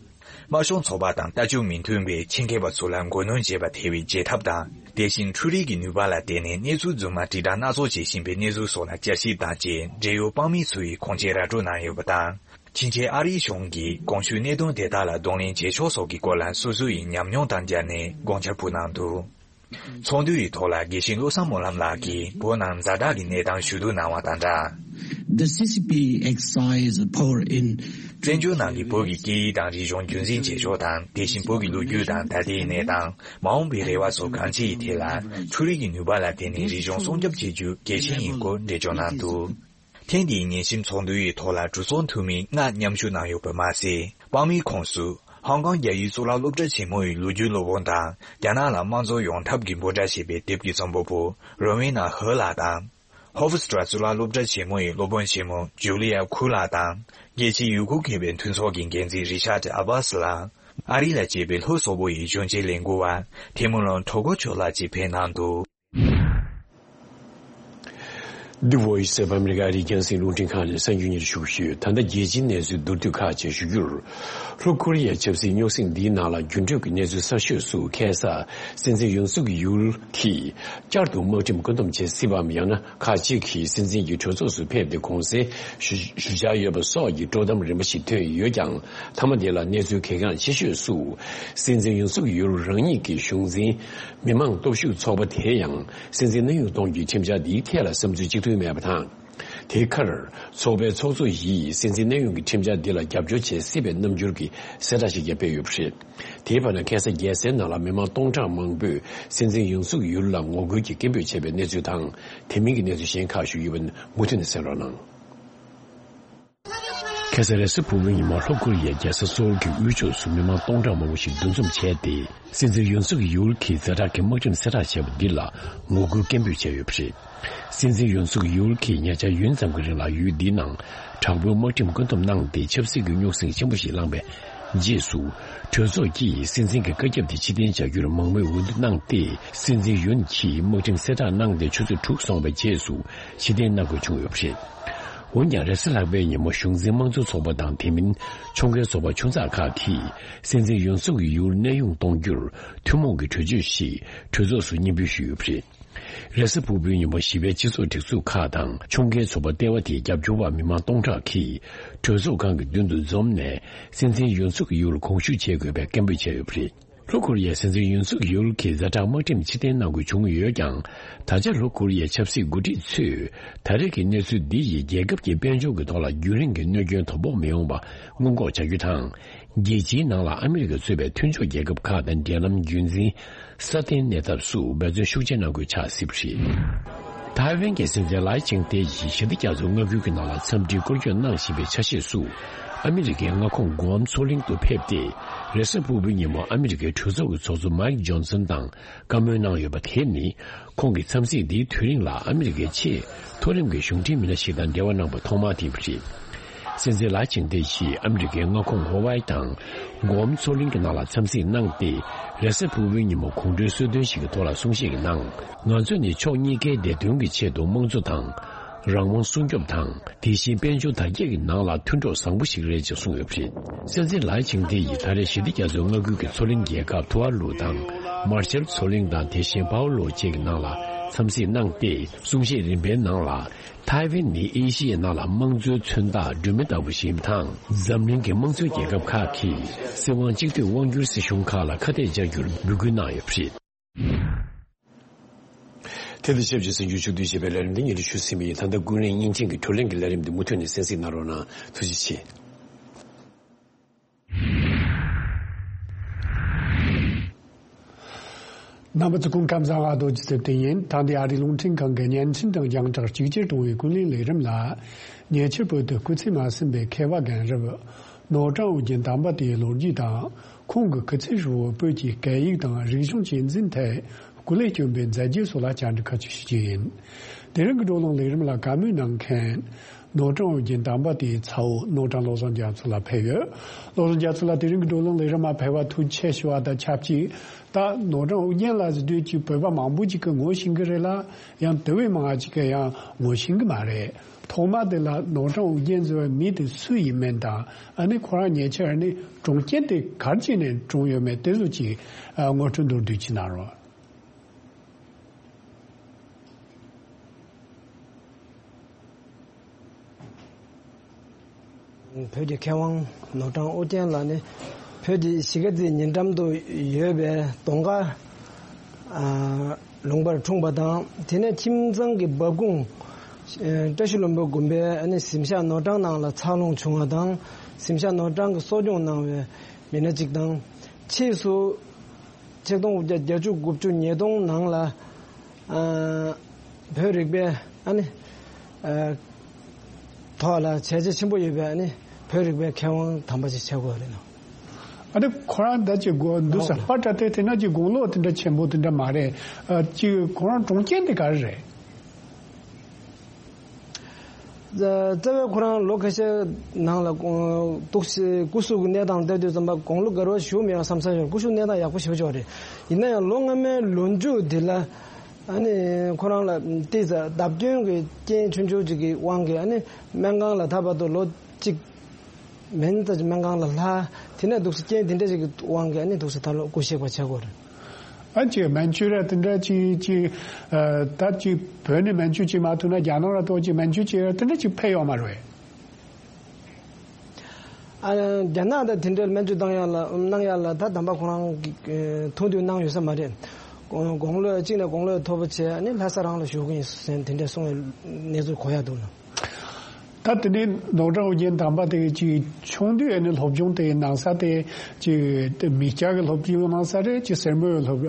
དམར་ཤོག་ཚོགས་པ་དང་ལྟ་སྤྱོད་མི་མཐུན་པའི་ཆེད་མཁས་པ་ཚོ་ལ་མགོ་གནོན་བྱེད་པ་ཐེ་བའི་བརྗེད་ཐབས་དང་། དེ་བཞིན་འཕྲུལ་རིག་གི་ནུས་པ་ལ་བརྟེན་ནས་གནས་ཚུལ་རྫུན་མ་དྲིལ་བསྒྲགས་སྣ་ཚོགས་བྱེད་བཞིན་པའི་གནས་ཚུལ་སོགས་ལ་བསྐྱར་ཞིབ་དང་བཅས་འབྲེལ་ཡོད་དཔང་མི་ཚོ་ཡིས་ཁུངས་སྐྱེལ་ར་སྤྲོད་གནང་ཡོད་པ་དང་། ཕྱིན་ཆད་ཨ་རིའི་གཞུང་གིས་གོང་ཞུས་གནད་དོན་དེ་དག་ལ་གདོང་ལེན་བྱེད་ཕྱོགས་སོགས་ཀྱི་སྐོར་ལ་སོ་སོ་ཡི་ཉམས་མྱོང་དང་སྦྱར་ནས་དགོངས་འཆར་ཕུལ་གནང་འདུག། ཚོགས་འདུ་ཡི་ཐོག་ལ་དགེ་བཤེས་བློ་བཟང་སྨོན་ལམ་ལགས་ཀྱིས་བོད་ནང་ཛ་དྲག་གི་གནས་སྟངས་ཞུ་གཏུག་གནང་བ་དང་སྦྲགས། The C C P exercise power in བཙན་བྱོལ་ནང་གི་བོད་ཀྱི་སྐད་ཡིག་དང་རིག་གཞུང་རྒྱུན་འཛིན་བྱེད་ཕྱོགས་དང་། དེ་བཞིན་བོད་ཀྱི་ལོ་རྒྱུས་དང་ད་ལྟའི་གནས་སྟངས། མ་འོངས་པའི་རེ་བ་སོགས་གང་ཅིའི་ཐད་ལ། འཕྲུལ་རིག་གི་ནུས་པ་ལ་བརྟེན་ནས་རིག་གཞུང་སྲུང་སྐྱོབ་བྱེད་རྒྱུ་གལ་ཆེན་ཡིན་སྐོར་འགྲེལ་བརྗོད་གནང་འདུག། ཐེངས་འདིའི་ཉན་ཞིབ་ཚོགས་འདུ་ཡི་ཐོག་ལ་གྲོས་ཚོགས་འཐུས་མི་ལྔ་མཉམ་ཞུགས་གནང་ཡོད་པ་མ་ཟད། དཔང་མིའི་ཁོངས་སུ། ཧོང་ཀོང་རྒྱ་ཡིག་གཙུག་ལག་སློབ་གྲྭ་ཆེན་མོ་ཡི་ལོ་རྒྱུས་སློབ་དཔོན་དང་། རྒྱ་ནག་ལ་དམངས་གཙོ་ཡོང་ཐབས་ཀྱི་འབོད་སྒྲ་ཞེས་པའི་དེབ་ཀྱི་རྩོམ་པ་པོ་རོ་ཝེ་ན་ཧོ་ལགས་དང་། ཧོ་ཧྥུ་སི་ཀྲ་གཙུག་ལག་སློབ་གྲྭ་ཆེན་མོ་ཡི་སློབ་དཔོན་ཆེན་མོ་ཇུ་ལི་ཡ་ཁུ་ལགས་དང་། རྒྱལ་སྤྱིའི་ཡུ་གུར་མཁས་པའི་མཐུན་ཚོགས་ཀྱི་འགན་འཛིན་རི་ཤར་ཏི་ཨ་བྷ་སི་ལགས། ཨ་རི་ལ་སྐྱེས་པའི་ལྷོ་སོག་པོ་ཡི་གཞོན་སྐྱེས་ལས་འགུལ་བ་ཐེ་མུ་ལོན་ཁྲོ་ཀོ་ཆོ་ལགས་བཅས་ཕེབས་གནང་འདུག། The Voice of America ཨ་རིའི་རྒྱང་སྲིང་རླུང་འཕྲིན་ཁང་ནས་གསར་འགྱུར་སྙན་ཞུ་ཞུས། ད་ལྟ་རྒྱལ་སྤྱིའི་གནས་ཚུལ་མདོར་བསྡུས་ཁག་ཅིག་ཞུ་རྒྱུར། ལྷོ་ཀོ་རི་ཡའི་ཆབ་སྲིད་རྙོག་ཟིང་འདིའི་ནང་ལ་འགྱུར་འགྲོས་ཀྱི་གནས་ཚུལ་གསར་ཤོས་སུ། ཁ་སང་སྲིད་འཛིན་ཡོན་སུག་ཡུལ་གྱིས་བསྐྱར་དུ་དམག་ཁྲིམས་བཀོད་འདོམས་བྱེད་སྲིད་པའམ། ཡང་ན་ཁག་ཅིག་གིས་སྲིད་འཛིན་གྱི་གྲོས་ཚོགས་སུ་ཕེབས་ཏེ་དགོངས་སེལ་ཞུ་ཞུ་འཆར་ཡོད་པ་སོགས་ཀྱི་དཀྲོག་གཏམ་རིམ་པ་ཞིག་ཐོན་ཡོད་ཀྱང་། མཐའ་མ་དེ་ལ་གནས་ཚུལ་གལ་འགངས་ཆེ་ཤོས་སུ། སྲིད་འཛིན་ཡོན་སུག་ཡུལ་རང་ཉིད་ཀྱི་གཞུང་འཛིན། མི་དམངས་སྟོབས་ཤུགས་ཚོགས་པ་དེ་ཡང་སྲིད་འཛིན་གནས་དབྱུང་གཏོང་རྒྱུའི་ཁྲིམས་འཆར་འདིའི་ཐད་ལ་བསམ་ཚུལ་གཅིག་མཐུན་མེད་པ་དང་། དེའི་ཁར་ཚོགས་པའི་ཚོགས་གཙོ་ཡིས་སྲིད་འཛིན་གནས་དབྱུང་གི་ཁྲིམས་འཆར་འདི་ལ་རྒྱབ་སྐྱོར་བྱེད་སྲིད་པའི་རྣམ་འགྱུར་གྱི་གསལ་བསྒྲགས་ཤིག་ཀྱང་སྤེལ་ཡོད་པ་རེད། དེའི་བར་ན་ཁ་སང་རྒྱལ་སའི་ནང་ལ་མི་མང་སྟོང་ཕྲག་མང་པོས་སྲིད་འཛིན་ཡོན་སུག་ཡུལ་ལ་ངོ་རྒོལ་གྱི་སྐད་འབོད་བྱས་པའི་གནས་ཚུལ་དང་། དེ་མིན་གྱི་གནས་ཚུལ་གཞན་ཁག་ཞུ་ཡོད་པ་མུ་མཐུད་ནས་གསན་རོགས་གནང་། ཁ་སང་རེས་གཟའ་ཕུར་བུའི་ཉིན་མོ་ལྷོ་ཀོ་རི་ཡའི་རྒྱལ་ས་སོལ་གྱི་དབུས་ཕྱོགས་སུ་མི་མང་སྟོང་ཕྲག་མང་པོ་ཞིག་འདུ་འཛོམས་བྱས་ཏེ། སྲིད་འཛིན་ཡོན་སུག་ཡུལ་གྱིས་ཛ་དྲག་གི་དམག་ཁྲིམས་གསལ་བསྒྲགས་བྱས་པ་འདི་ལ་ངོ་རྒོལ་སྐད་འབོད་བྱས་ཡོད་པ་རེད། སྲིད་འཛིན་ཡོན་སུག་ཡུལ་གྱིས་ཉེ་ཆར་ཡུན་ཙམ་གྱི་རིང་ལ་ཡུལ་འདིའི་ནང་དྲག་པོའི་དམག་ཁྲིམས་བཀོད་འདོམས་གནང་སྟེ། ཆབ་སྲིད་ཀྱི་རྙོག་ཟིང་ཆེན་པོ་ཞིག་བསླངས་པའི་རྗེས་སུ། གྲོས་ཚོགས་ཀྱིས་སྲིད་འཛིན་གྱི་བཀའ་ཁྱབ་དེ་ཕྱིར་འཐེན་བྱ་རྒྱུར་མང་མོས་འོས་བསྡུ་གནང་སྟེ། སྲིད་འཛིན་ཡོན་གྱིས་དམག་ཁྲིམས་གསལ་བསྒྲགས་གནང་སྟེ་ཆུ་ཚོད་དྲུག་སོང་བའི་རྗེས་སུ་ཕྱིར་འཐེན་གནང་དགོས་བྱུང་ཡོད་པ་རེད། འོན་ཀྱང་། རེས་གཟའ་ལྷག་པའི་ཉིན་མོ་གཞུང་འཛིན་དམངས་གཙོ་ཚོགས་པ་དང་། དེ་མིན་ཁྲོམ་སྐྱེལ་ཚོགས་པ་ཆུང་ཙག་ཁག་གིས་སྲིད་འཛིན་ཡོན་སུག་ཡུལ་གནས་དབྱུང་གཏོང་རྒྱུར་ཐུན་མོང་གི་གྲོས་ཆོད་ཞིག་གྲོས་ཚོགས་སུ་སྙན་འབུལ་ཞུས་ཡོད་པ་རེད། རེས་གཟའ་ཕུར་བུའི་ཉིན་མོ་ཞི་བའི་སྤྱི་ཚོགས་སྒྲིག་འཛུགས་ཁག་དང་ཁྲོམ་སྐྱེལ་ཚོགས་པ་ལྟེ་བ་དེའི་རྒྱབ་སྐྱོར་བ་མི་མང་སྟོང་ཕྲག་གིས་གྲོས་ཚོགས་ཁང་གི་མདུན་དུ་འཛོམས་ནས། སྲིད་འཛིན་ཡོན་སུག་ཡུལ་དགོངས་ཞུ་བྱེད་དགོས་པའི་སྐད་འབོད་བྱས་ཡོད་པ་རེད། ལྷོ་ཀོ་རི་ཡའི་སྲིད་འཛིན་ཡོན་སུག་ཡུལ་གྱིས་ཛ་དྲག་དམག་ཁྲིམས་ཕྱིར་འཐེན་གནང་དགོས་བྱུང་ཡོད་ཀྱང་། ད་ཆ་ལྷོ་ཀོ་རི་ཡའི་ཆབ་སྲིད་འགོ་ཁྲིད་ཚོས་ད་རེས་ཀྱི་གནས་ཚུལ་འདི་ཡིས་རྒྱལ་ཁབ་ཀྱི་དཔལ་འབྱོར་གྱི་ཐོག་ལ་རྒྱུན་རིང་གི་གནོད་སྐྱོན་དོ་ཕོག་མི་ཡོང་བ་སྔོན་འགོག་བྱ་རྒྱུ་དང་། རྒྱལ་སྤྱིའི་ནང་ལ་ཨ་མི་རི་ཀས་གཙོས་པའི་མཐུན་ཕྱོགས་རྒྱལ་ཁབ་ཁག་དང་འབྲེལ་ལམ་རྒྱུན་འཛིན་སྲ་བརྟན་གནས་ཐབས་སུ་འབད་བརྩོན་ཤུགས་ཆེ་གནང་དགོས་ཆགས་སྲིད་པ་རེད། ཐའེ་ཝན་གྱི་སྲིད་འཛིན་ལའེ་ཆིང་ཏེ་ཡིས་ཞི་བདེ་རྒྱ་མཚོའི་མངའ་ཁུལ་གྱི་ནང་ལ་འཚམས་འདྲིའི་སྐོར་སྐྱོད་གནང་བཞིན་པའི་ཆ་ཤས་སུ། ཨ་མི་རི་ཀའི་མངའ་ཁོངས་གུའམ་མཚོ་གླིང་དུ་ཕེབས་ཏེ། རེས་གཟའ་ཕུར་བུའི་ཉིན་མོ་ཨ་མི་རི་ཀའི་གྲོས་ཚོགས་ཀྱི་ཚོགས་གཙོ་མའིག་ཇོན་སན་དང་བཀའ་མོལ་གནང་ཡོད་པ་དེ་ནི། ཁོང་གིས་འཚམས་གཟིགས་འདིའི་དུས་རིང་ལ་ཨ་མི་རི་ཀའི་ཆེས་མཐོ་རིམ་གྱི་གཞུང་འབྲེལ་མི་སྣ་ཞིག་དང་འབྲེལ་བ་གནང་པ་ཐོག་མ་དེ་ཡིན་པ་རེད། སྲིད་འཛིན་ལའེ་ཆིང་ཏེ་ཡིས་ཨ་མི་རི་ཀའི་མངའ་ཁོངས་ཧོ་ཝའི་དང་། གུའམ་མཚོ་གླིང་གི་ནང་ལ་འཚམས་གཟིགས་གནང་སྟེ། རེས་གཟའ་ཕུར་བུའི་ཉིན་མོ་གོང་བགྲོས་གསོལ་སྟོན་ཞིག་གི་ཐོག་ལ་གསུང་བཤད་ཀྱི་ནང་། ང་ཚོ་ནི་ཕྱོགས་གཉིས་ཀའི་བདེ་དོན་གྱི་ཆེད་དུ་དམངས་གཙོ་དང་། རང་དབང་སྲུང་སྐྱོབ་དང་། དེ་བཞིན་དཔལ་འབྱོར་དར་རྒྱས་ཀྱི་ནང་ལ་མཐུན་གྲོགས་བཟང་པོ་ཞིག་རེད་ཅེས་གསུངས་ཡོད་པ་རེད། སྲིད་འཛིན་ལའེ་ཆིང་ཏེ་ཡིས་ད་རེས་ཞི་བདེ་རྒྱ་མཚོའི་མངའ་ཁུལ་གྱི་མཚོ་གླིང་རྒྱལ་ཁབ་ཐུ་ཝ་ལུ་དང་། མར་ཤལ་མཚོ་གླིང་དང་། དེ་བཞིན་པའོ་ལོ་བཅས་ཀྱི་ནང་ལ་འཚམས་གཟིགས་གནང་སྟེ། གསུང་བཤད་རིམ་པའི་ནང་ལ། ཐའེ་ཝན་ནི་ཨེ་ཤི་ཡའི་ནང་ལ་དམངས་གཙོའི་མཚོན་རྟགས་སྒྲོན་མེ་ལྟ་བུ་ཞིག་ཡིན་པ་དང་། འཛམ་གླིང་གི་དམངས་གཙོའི་རྒྱལ་ཁབ་ཁག་གིས་སྲིད་དབང་གཅིག་སྡུད་དབང་སྒྱུར་སྲིད་གཞུང་ཁག་ལ་ཁ་གཏད་བཅག་རྒྱུར་འབོད་སྐུལ་གནང་ཡོད་པ་རེད། དེ་དང་ཆབས་ཅིག་གསར་འགྱུར་ཕྱོགས་བསྡུས་བྱས་པའི་ལས་རིམ་འདི་སྙན་སྒྲོན་ཞུས་ཟིན་པ་ཡིན། ད་ལྟ་ཀུན་གླེང་བརྙན་འཕྲིན་གྱི་བགྲོ་གླེང་གི་ལས་རིམ་འདི་མུ་མཐུད་ནས་གསན་གཟིགས་གནང་རོགས་གནང་། ཐུགས་རྗེ་ཆེ། རྣམ་པ་ཚོ་སྐུ་ཁམས་བཟང་། ཨ་རྡོ་རྗེ་ཚེ་བརྟན་ཡིན། ད་འདི་ཨ་རིའི་རླུང་འཕྲིན་ཁང་གི་བརྙན་འཕྲིན་དང་རྒྱང་བསྒྲགས་གཅིག་གྱུར་གཏོང་བའི་ཀུན་གླེང་ལས་རིམ་ལ། ཉེ་ཆར་བོད་དུ་སྐུ་ཚེ་མ་ཟིན་པའི་མཁས་པ་རྒན་རབས་ནོར་བྲང་ཨོ་རྒྱན་དམ་པ་དེའི་ལོ་རྒྱུས་དང་། ཁོང་གི་སྐུ་ཚེ་ཧྲིལ་བོར་བོད་ཀྱི་སྐད་ཡིག་དང་རིག་གཞུང་གཅེས་འཛིན་ཐད་སྐུ་ལས་བསྐྱོན་པའི་མཛད་རྗེས་སོགས་ལ་བཅར་འདྲི་ཁ་ཕྱོགས་ཞུ་རྒྱུ་ཡིན། དེ་རིང་གི་བགྲོ་གླེང་ལས་རིམ་ལ་བཀའ་མོལ་གནང་མཁན། ནོར་བྲང་ཨོ་རྒྱན་དམ་པ་དེའི་ཚ་བོ་ནོར་བྲང་བློ་བཟང་རྒྱ་མཚོ་ལགས་ཕེབས་ཡོད། བློ་བཟང་རྒྱ་མཚོ་ལགས། དེ་རིང་གི་བགྲོ་གླེང་ལས་རིམ་མ་ཕེབས་པར་ཐུགས་རྗེ་ཆེ་ཞུ་བ་དང་ཆབས་ཅིག་ད་ནོར་བྲང་ཨོ་རྒྱན་ལགས་ཟེར་དུས་ཀྱི་བོད་པ་མང་པོ་ཅིག་གིས་ངོ་ཤེས་ཀྱི་རེད་ལ། ཡང་དེ་བས་མང་བ་ཅིག་གིས་ཡང་ངོ་ཤེས་ཀྱི་མ་རེད། ཐོག་མ་དེ་ལ་ནོར་བྲང་ཨོ་རྒྱན་ཟེར་བའི་མི་དེ་སུ་ཡིན་མིན་དང་། ཨ་ནི་ཁོ་རང་ཉེ་ཆར་ནི་གྲོངས་རྐྱེན་དེ་ག་རེ་བྱས་ནས་གྲོངས་ཡོད་མེད་དེ་ཚོ་ཅིག་ངོ་སྤྲོད་མདོར་བསྡུས་ཅིག་གནང་རོགས། བོད་ཀྱི་མཁས་དབང་ནོར་བྲང་ཨོ་རྒྱན་ལགས་ནི་བོད་ཀྱི་གཞིས་ཀ་རྩེའི་ཉེ་འགྲམ་དུ་ཡོད་པའི་གདོང་དཀར་ཨ་ལུང་པར་འཁྲུངས་པ་དང་། དེ་ནས་ཁྱིམ་ཚང་གི་འབབ་ཁུངས་ཨ་བཀྲ་ཤིས་ལྷུན་པོ་དགོན་པའི་ཨ་ནི་གཟིམ་ཤག་ནོར་བྲང་ནང་ལ་འཚར་ལོངས་བྱུང་བ་དང་། གཟིམ་ཤག་ནོར་བྲང་གི་གསོ་སྐྱོང་གནང་བའི་མི་སྣ་གཅིག་དང་། ཕྱིས་སུ་ཆིག་སྟོང་དགུ་བརྒྱ་བརྒྱད་ཅུ་དགུ་བཅུ་ཉིས་སྟོང་ནང་ལ་ཨ་བོད་རིག་པའི་ཨ་ནི་ཨ་ཐོག་ལ་བྱས་རྗེས་ཆེན་པོ་ཡོད་པའི་ཨ་ནི་བོད་རིག་པའི་མཁས་དབང་དམ་པ་ཞིག་ཆགས་དགོས་རེད་ནོ། ཨ་ནི་ཁོ་རང་ད་ཅིག་དགོངས་འདུག་ཟེར་ཨོ་པ་ཏྲ་དེ་དེ་ན་ཅིག་དགུང་ལོ་དེ་འདྲ་ཆེན་པོ་དེ་འདྲ་མ་རེད། ཨ་ཅིག་ཁོ་རང་གྲོངས་རྐྱེན་དེ་ག་རེ་རེད། རྩ་བའི་ཁོ་རང་ལོ་ཁ་ཤས་ནང་ལ་འདུག་སེ་སྐུ་གཟུགས་ཀྱི་གནས་སྟངས་ལྟ་དུས་ཙམ་པ་དགུང་ལོ་བརྒལ་བ་ཞུ་མེད་པ་བསམ་ས་ཡོད། སྐུ་གཟུགས་གནས་སྟངས་ཡག་པོ་ཞེ་པོ་ཅིག་རེད། ཡིན་ན་ཡང་ལོ་སྔ་མའི་ལོ་མཇུག་འདི་ལ་ཨ་ནི་ཁོ་རང་ལ་ཏོག་ཙམ་བརྡབ་སྐྱོན་གྱི་རྐྱེན་ཆུང་ཆུང་ཅིག་གི་དབང་གིས་ཨ་ནི་སྨན་ཁང་ལ་ད་བར་དུ་ལོ་གཅིག་མིན་ཙམ་ཅིག་སྨན་ཁང་ལ་ལྷག་དེ་ནས་འདུག་སེ་རྐྱེན་དེ་འདྲ་ཅིག་གི་དབང་གིས་ཨ་ནི་འདུག་སེ་ད་ལོ་སྐུ་གཤེགས་པ་ཆགས་ཀྱི་ཡོད་རེད། ཨ་ཅེ་སྨན་བཅོས་ར་དེ་འདྲ་ཅིག་ཅིག་ཨ་ད་ཅིག་བོད་ནས་སྨན་བཅོས་བྱེད་མ་ཐུབ་ན་རྒྱ་ནག་ལ་གཏོགས་ཅིག་སྨན་བཅོས་བྱེད་ར་དེ་འདྲ་ཅིག་ཕེབས་ཡོད་མ་རེད། ཨ་རྒྱ་ནག་དང་དེ་འདྲའི་སྨན་བཅོས་བཏང་ཡག་ལ་གནང་ཡག་ལ་ད་དམ་པ་ཁོ་རང་གིས་ཐུགས་འདུན་གནང་ཡོད་ས་མ་རེད། དགུང་ལོ་གཅིག་ནས་དགུང་ལོ་མཐོ་པོ་བྱས་ནས་ལྷ་ས་རང་ལ་བཞུགས་ཀྱི་ཡིན་ཟེར་དེ་འདྲ་གསུང་བའི་གནས་ཚུལ་གོ་ཡག་འདུག་ལ། ད་དེ་ནས་ནོར་བྲང་ཨོ་རྒྱན་དམ་པ་དེ་ཅིག་ཆུང་དུས་ནས་སློབ་སྦྱོང་དེ་གནང་ས་དེ་ཅིག་མི་སྐྱ་གི་སློབ་སྦྱོང་གནང་ས་རེད། ཅིག་སེར་མོའི་སློབ་